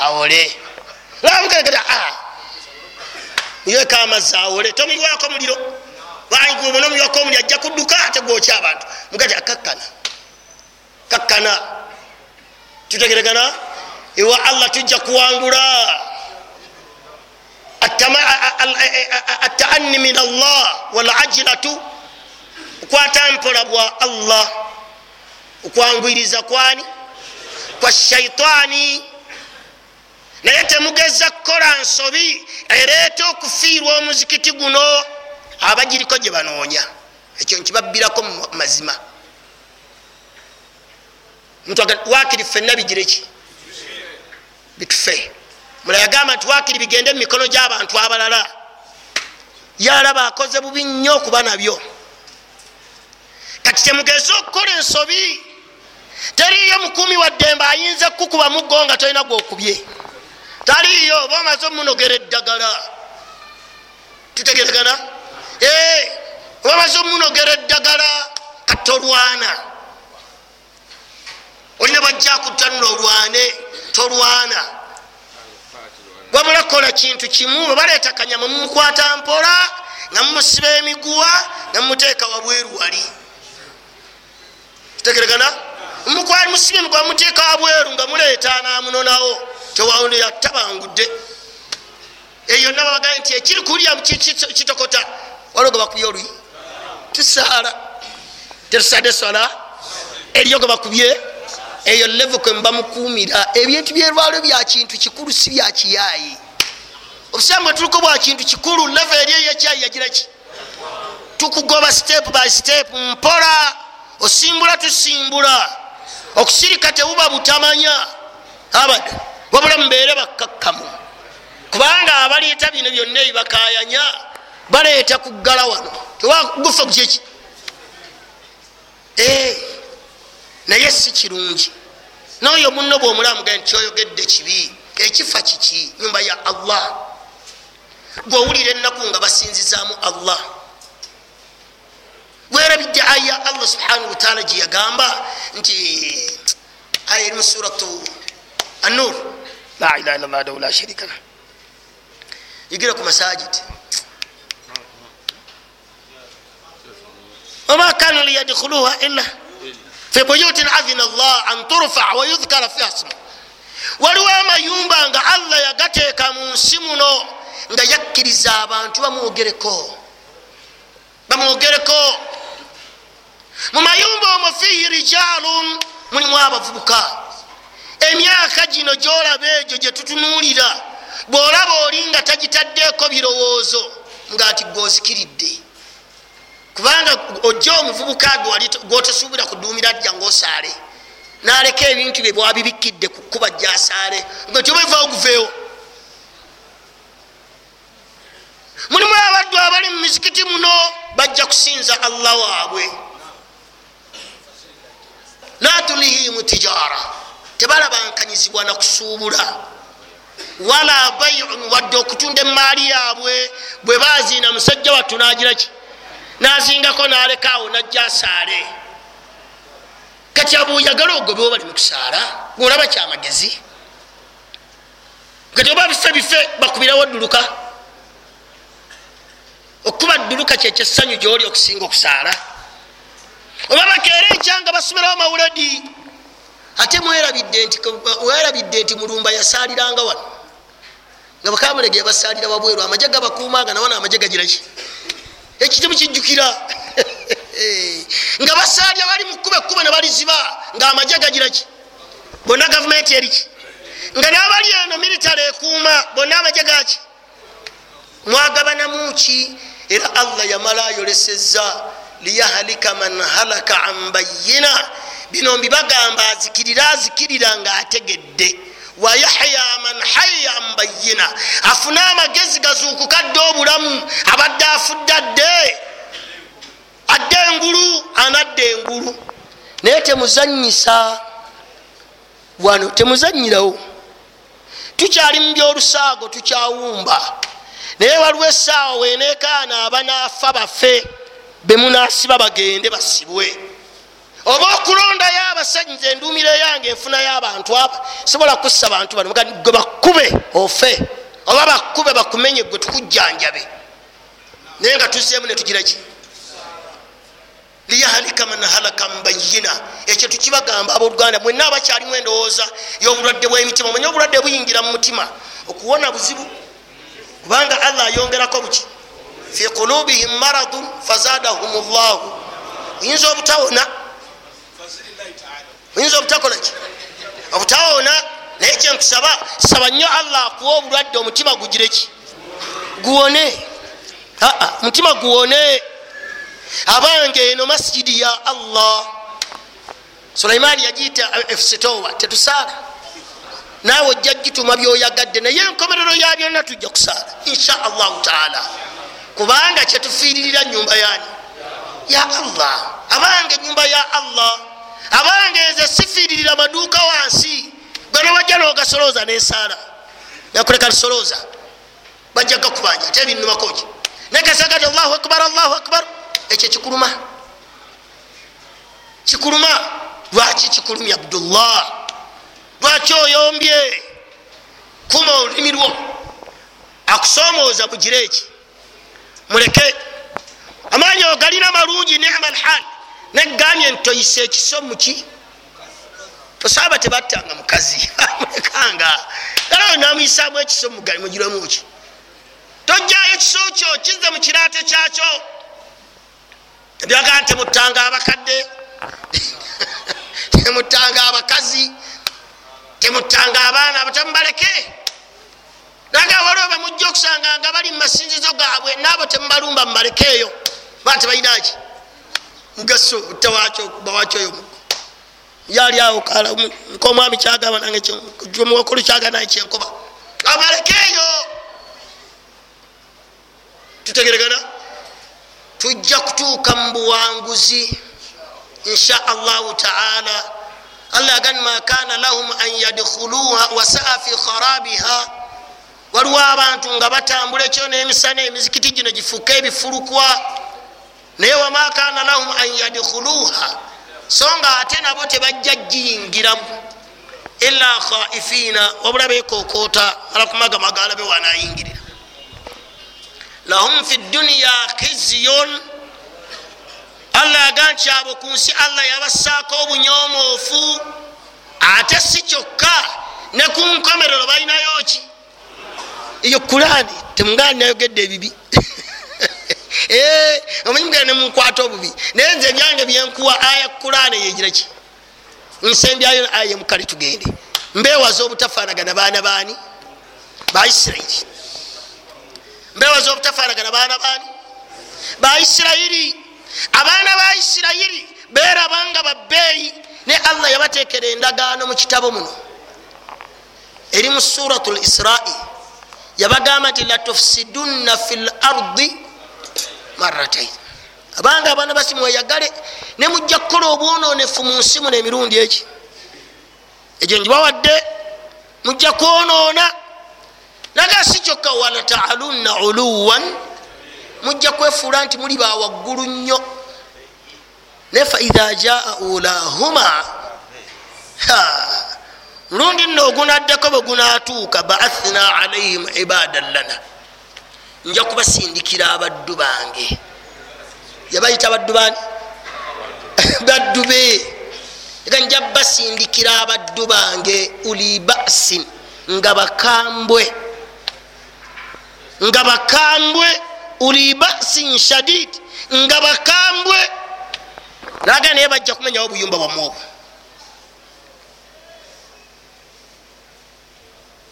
A: awole iweka amazzi awole, tomuyiwako muliro nomuyiwako omuliro ajja kudduka ate gwokya abantu. Mugati akakkana kakkana, tutegeregana ewa Allah tujja kuwangula. Ataanni min Allah walajilatu, okwata mpola bwa Allah, okwangwiriza kwani kwa shaitaani. Naye temugeza kukola nsobi ereeta okufiirwa omuzikiti guno abagiriko gye banoonya. Ekyo nkibabbirako mu mazima. Wakiri ffenna bigireki bitufe. Mulala yagamba nti wakiri bigende mu mikono gy'abantu abalala. Yalaba akoze bubi nnyo okuba nabyo. Kati temugeze okukola ensobi. Teriiyo mukuumi wa ddembe ayinza kukuba muggo nga tolina gwokubye. Taliiyo, oba omaze omunogera eddagala. Tutegeregana? Oba omaze omunogera eddagala kati tolwana. Olina bwajja kuttanula olwane, tolwana. Wabula kola kintu kimu, bwe baleeta kanyama mumukwata mpola nga mumusiba emiguwa nga mumuteeka wabweru wali. Tutegeregana? Mukwali musibe emiguwa mumuteeka wabweru nga muleeta n'amunonawo tewawulira tabangudde. Eyo yonna babagaye nti ekiri kulya kitokota. Waliwo gwe bakubye oluyi tusaala, tetusadde swala eriyo gwe bakubye. Eyo level kwe mba mukuumira. Ebintu byerwalo bya kintu kikulu, si bya kiyaayi. Obusiraamu bwe tuliko bwa kintu kikulu. Level eri eyekyayi yagira ki? Tukugoba step by step mpola, osimbula tusimbula. Okusirika tebuba butamanya abada, wabula mubeere bakkakkamu, kubanga abaleeta bino byonna ebibakaayanya baleeta kuggala wano tewagufa kukyeki. Naye si kirungi. N'oyo munno bw'omulamu gamba nti kyoyogedde kibi, ekifa kiki? Nyumba ya Allah. Gw'owulira ennaku nga basinzizaamu Allah. Weerabidde aya Allah subhanahu wataala gye yagamba nti aya eri mu suratu An-Nur, la ilaha illallah wahdahu la sharika lah, yigira ku masajid, wama kanu liyadkhuluha illa fi buyutin adhina Allah an turfa wa yudhkara fiha ismuhu. Waliwo amayumba nga Allah yagateeka mu nsi muno nga yakkiriza abantu bamwogereko, bamwogereko. Mu mayumba omwo fihi rijalun, mulimu abavubuka. Emyaka gino gyolaba egyo gye tutunuulira, bw'olaba oli nga tagitaddeeko birowoozo ng'ati gwozikiridde, kubanga ojja omuvubuka gwotosuubira kuduumira ajja ng'osaale n'aleka ebintu bye bwabibikkidde ku kkuba gy'asaale nga tyoba guveewo. Mulimu abaddu abali mu mizikiti muno bajja kusinza Allah waabwe. La tulihimu tijara, tebalabankanyizibwa na kusuubula, wala bay'un, wadde okutunda emaali yaabwe. Bwe baziina musajja wattu n'agira ki? N'azingako n'alekaawo n'ajja asaale. Kati abo oyagala ogobewo bali mu kusaala, ng'olaba kyamagezi. Kati oba bife bife bakubirawo dduluka. Okuba dduluka kyekyessanyu gy'oli okusinga okusaala. Oba bakeera ekyanga basomerawo mawuledi. Ate mwerabidde nti werabidde nti Mulumba yasaaliranga wano nga bakamulege yabasaalira wabweru, amagye gabakuumanga nawana amagye gagiraki ekitimu kijjukira nga basaalira bali mu kkuba ekkuba ne baliziba nga amagye gagiraki bonna gavumenti eriki nga n'abali eno military ekuuma bonna amagye gaki mwagabanamu ki? Era Allah yamala ayolesezza liyahalika man halaka an bayina. Bino mbibagamba azikirira azikirira ng'ategedde. Wayahya man haya an bayina, afune amagezi gazuukuka adde obulamu, abadde afudde adde adde engulu, anadde engulu. Naye temuzanyisa wano, temuzanyirawo. Tukyali mu byolusaago, tukyawumba. Naye waliwo essaawa weneekaana abanaafa bafe bemunaasiba bagende basibwe, oba okulondayo abasajja. Nze enduumiro yange enfunayo abantu aba sobola kussa bantu bano gwe bakube ofe, oba bakube bakumenye gwe tukujjanjabe. Naye nga tuzzeemu ne tugira ki? Liyahalika man halaka mbayina. Ekyo tukibagamba abooluganda mwenna abakyalimu endowooza y'obulwadde bw'emitima. Mwenye obulwadde buyingira mu mutima, okuwona buzibu, kubanga Allah ayongerako buki? Fi qulubihim maradun fazadahum llahu. Oyinza obutawona, oyinza obutakola ki? Obutawona. Naye kyenkusaba, saba nnyo Allah akuwa obulwadde omutima gugire ki? Guwone. Aa, omutima guwone. Abange eno masjidi ya Allah. Sulaimani yagiyita efusitowa, tetusaala. Naawe ojja gituma byoyagadde, naye enkomerero ya byonna tujja kusaala insha allahu taala, kubanga kyetufiiririra nyumba yani ya Allah. Abange nyumba ya Allah. Abange nze sifiiririra maduuka wansi, gwe newajja n'ogasolooza n'esaala nakuleka lisolooza, bajja gakubanja ate ebinnumakoki nekasagati Allahu akbar, Allahu akbar. Ekyo kikuluma, kikuluma. Lwaki kikulumya Abdullah? Lwaki oyombye? Kuma olulimi lwo, akusoomooza bugire eki, muleke. Amaanyi ogalina malungi, nema lhal. Negambye nti toyisa ekiso muki? Osaba tebattanga mukazi amulekanga era namuyisaamu ekiso mugiremu ki? Tojjayo ekiso kyo, kizze mu kiraate kyakyo. Ebyagaa nti temuttanga abakadde, temuttanga abakazi, temuttanga abaana abatemubaleke. Naga waliwo bemujja okusanga nga bali mu masinzizo gaabwe, naabo temubalumba, mubalekeeyo, ba tebalinaki mugaso tewakyo bawakyo oyo muggo yali awo kala nkomwami kyagamba nange muwakulu kyagamba nange kyenkoba, abalekeeyo. Tutegeregana, tujja kutuuka mu buwanguzi insha allahu taala. Allah agani ma kana lahum an yadkhuluha wasaa fi kharabiha. Waliwo abantu nga batambula ekyo n'emisana, emizikiti gino gifuuke ebifulukwa, naye wama kana lahum an yadkhuluha, so nga ate nabo tebajja giyingiramu illa khaifina, wabula beekokoota alakumagamaga alabe wanaayingirira. Lahum fi dunya khizyun. Allah aga nti abo ku nsi Allah yabassaako obunyomoofu, ate si kyokka ne ku nkomerero balinayo ki? Eyo Kurani temugaani nayogedde ebibi omanyi mugenda ne munkwata obubi, naye nze ebyange byenkuwa aya Kurani yegira ki? Nsembyayo aya mukale tugende. Mbeewaza obutafaanagana baana baani? Ba Isirayiri. Mbeewaza obutafaanagana baana baani? Ba Isirayiri. Abaana ba Isirayiri beerabanga babbeeyi, ne Allah yabateekera endagaano mu kitabo muno eri mu Suratul Isra'i. Yabagamba nti latufsidunna fil ardi marratain. Abanga abaana basi mweyagale ne mujja kukola obwonoonefu mu nsi muno emirundi egi egyo ngibawadde, mujja kwonoona. Naga si kyokka, walataalunna uluwan, mujja kwefuula nti muli bawaggulu nnyo. Ne fa idha jaa ulahuma, mulundi nno ogunaddeko bwe gunaatuuka, baathna alaihim ibadan lana, nja kubasindikira abaddu bange. Yabayita baddu bani? Baddu be. Ega nja basindikira abaddu bange uli ba'sin, nga bakambwe, nga bakambwe, uli ba'sin shadid, nga bakambwe. Naga naye bajja kumenyawo obuyumba bwammwe obwo.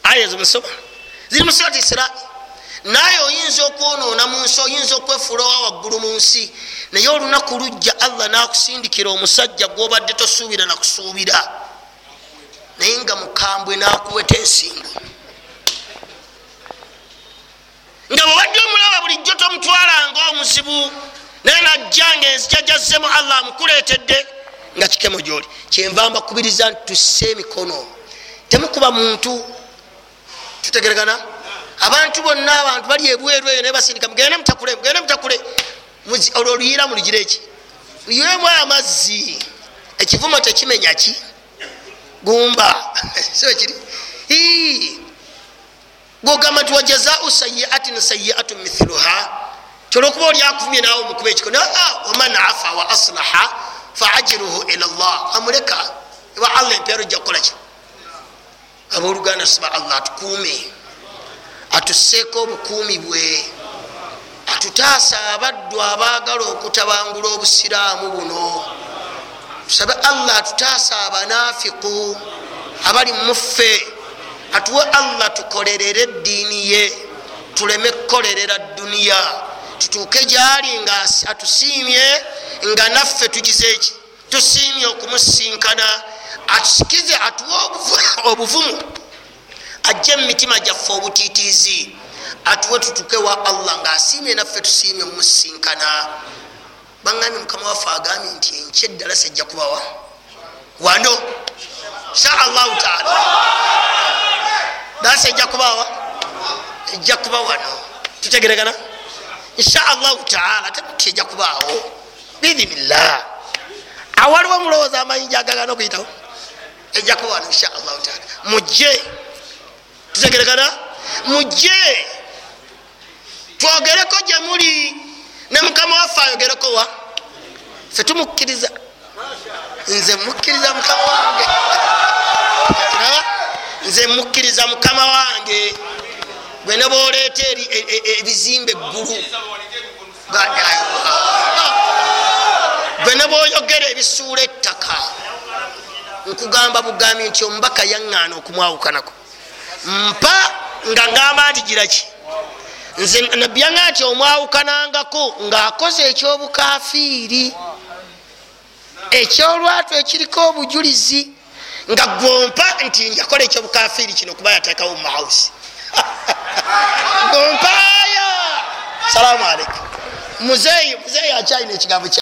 A: Aya zimusoma ziri mu Surati Isra. Naye oyinza okwonoona mu nsi, oyinza okwefuula owa waggulu mu nsi, naye olunaku lujja Allah n'akusindikira omusajja gw'obadde tosuubira nakusuubira, Naye nga mukambwe n'akuweta ensingo, nga bwobadde omulaba bulijjo tomutwalanga omuzibu, naye najja nga enzija gyazzemu Allah amukuleetedde nga kikemo gyoli. Kyenva mbakubiriza nti tusse emikono, temukuba muntu. Tutegeregana? Abantu bonna, abantu bali ebweru eyo naye basindika, mugende mutakule, mugende mutakule. Olwo oluyira mulugire eki? Luyiremu amazzi. Ekivumo tekimenya ki? Gumba. Si kiri? Gwogamba nti wajazau sayiatin sayiatun mithluha, kyolwokuba oli akuvumye naawe omukuba ekikono. Waman afa wa aslaha fa ajruhu ila Allah, amuleka ewa Allah, empeera ojja kukola ki? Abooluganda, tusaba Allah atukuume, atusseeko obukuumi bwe, atutaasa abaddu abaagala okutabangula obusiraamu buno. Tusabe Allah atutaasa abanaafiku abali muffe, atuwe Allah tukolerere eddiini ye, tuleme kukolerera duniya, tutuuke gyali nga atusiimye, nga naffe tugize eki? Tusiimye okumusinkana. Atusikize, atuwe obuvumu, ajje mu mitima gyaffe obutiitiizi, atuwe tutuuke wa Allah ng'asiimye naffe tusiimye omusinkana. Baŋŋambye mukama waffe agambye nti enkya eddala sejja kubawa wano insha Allahu taala, dasa ejja kubawa, ejja kuba wano. Tutegeregana insha Allahu taala, temuti ejja kubaawo biidhinillah. Awaliwo mulowooza amayinja agagana okuyitawo, ejja kuba wano insha Allahu taala. Mujje, tutegeregana, mujje twogereko gye muli, ne mukama waffe ayogereko wa ffe tumukkiriza. Nze mukkiriza mukama wange, nze mukkiriza mukama wange. Gwe ne bwoleeta ebizimbe eggulu, gwe ne bwoyogera ebisuula ettaka, nkugamba bugambi nti omubaka yaŋŋaana okumwawukanako. Mpa nga ngamba nti giraki, nze nabbi yaŋŋaa nti omwawukanangako ng'akoze ekyobukafiiri ekyolwatu ekiriko obujulizi, nga gwompa nti njakola ekyobukafiiri kino kuba yateekawo mu mahausi. Gompaaya. Salaamu aleikum. Muzeeyi, muzeeyi akyalina ekigambo kya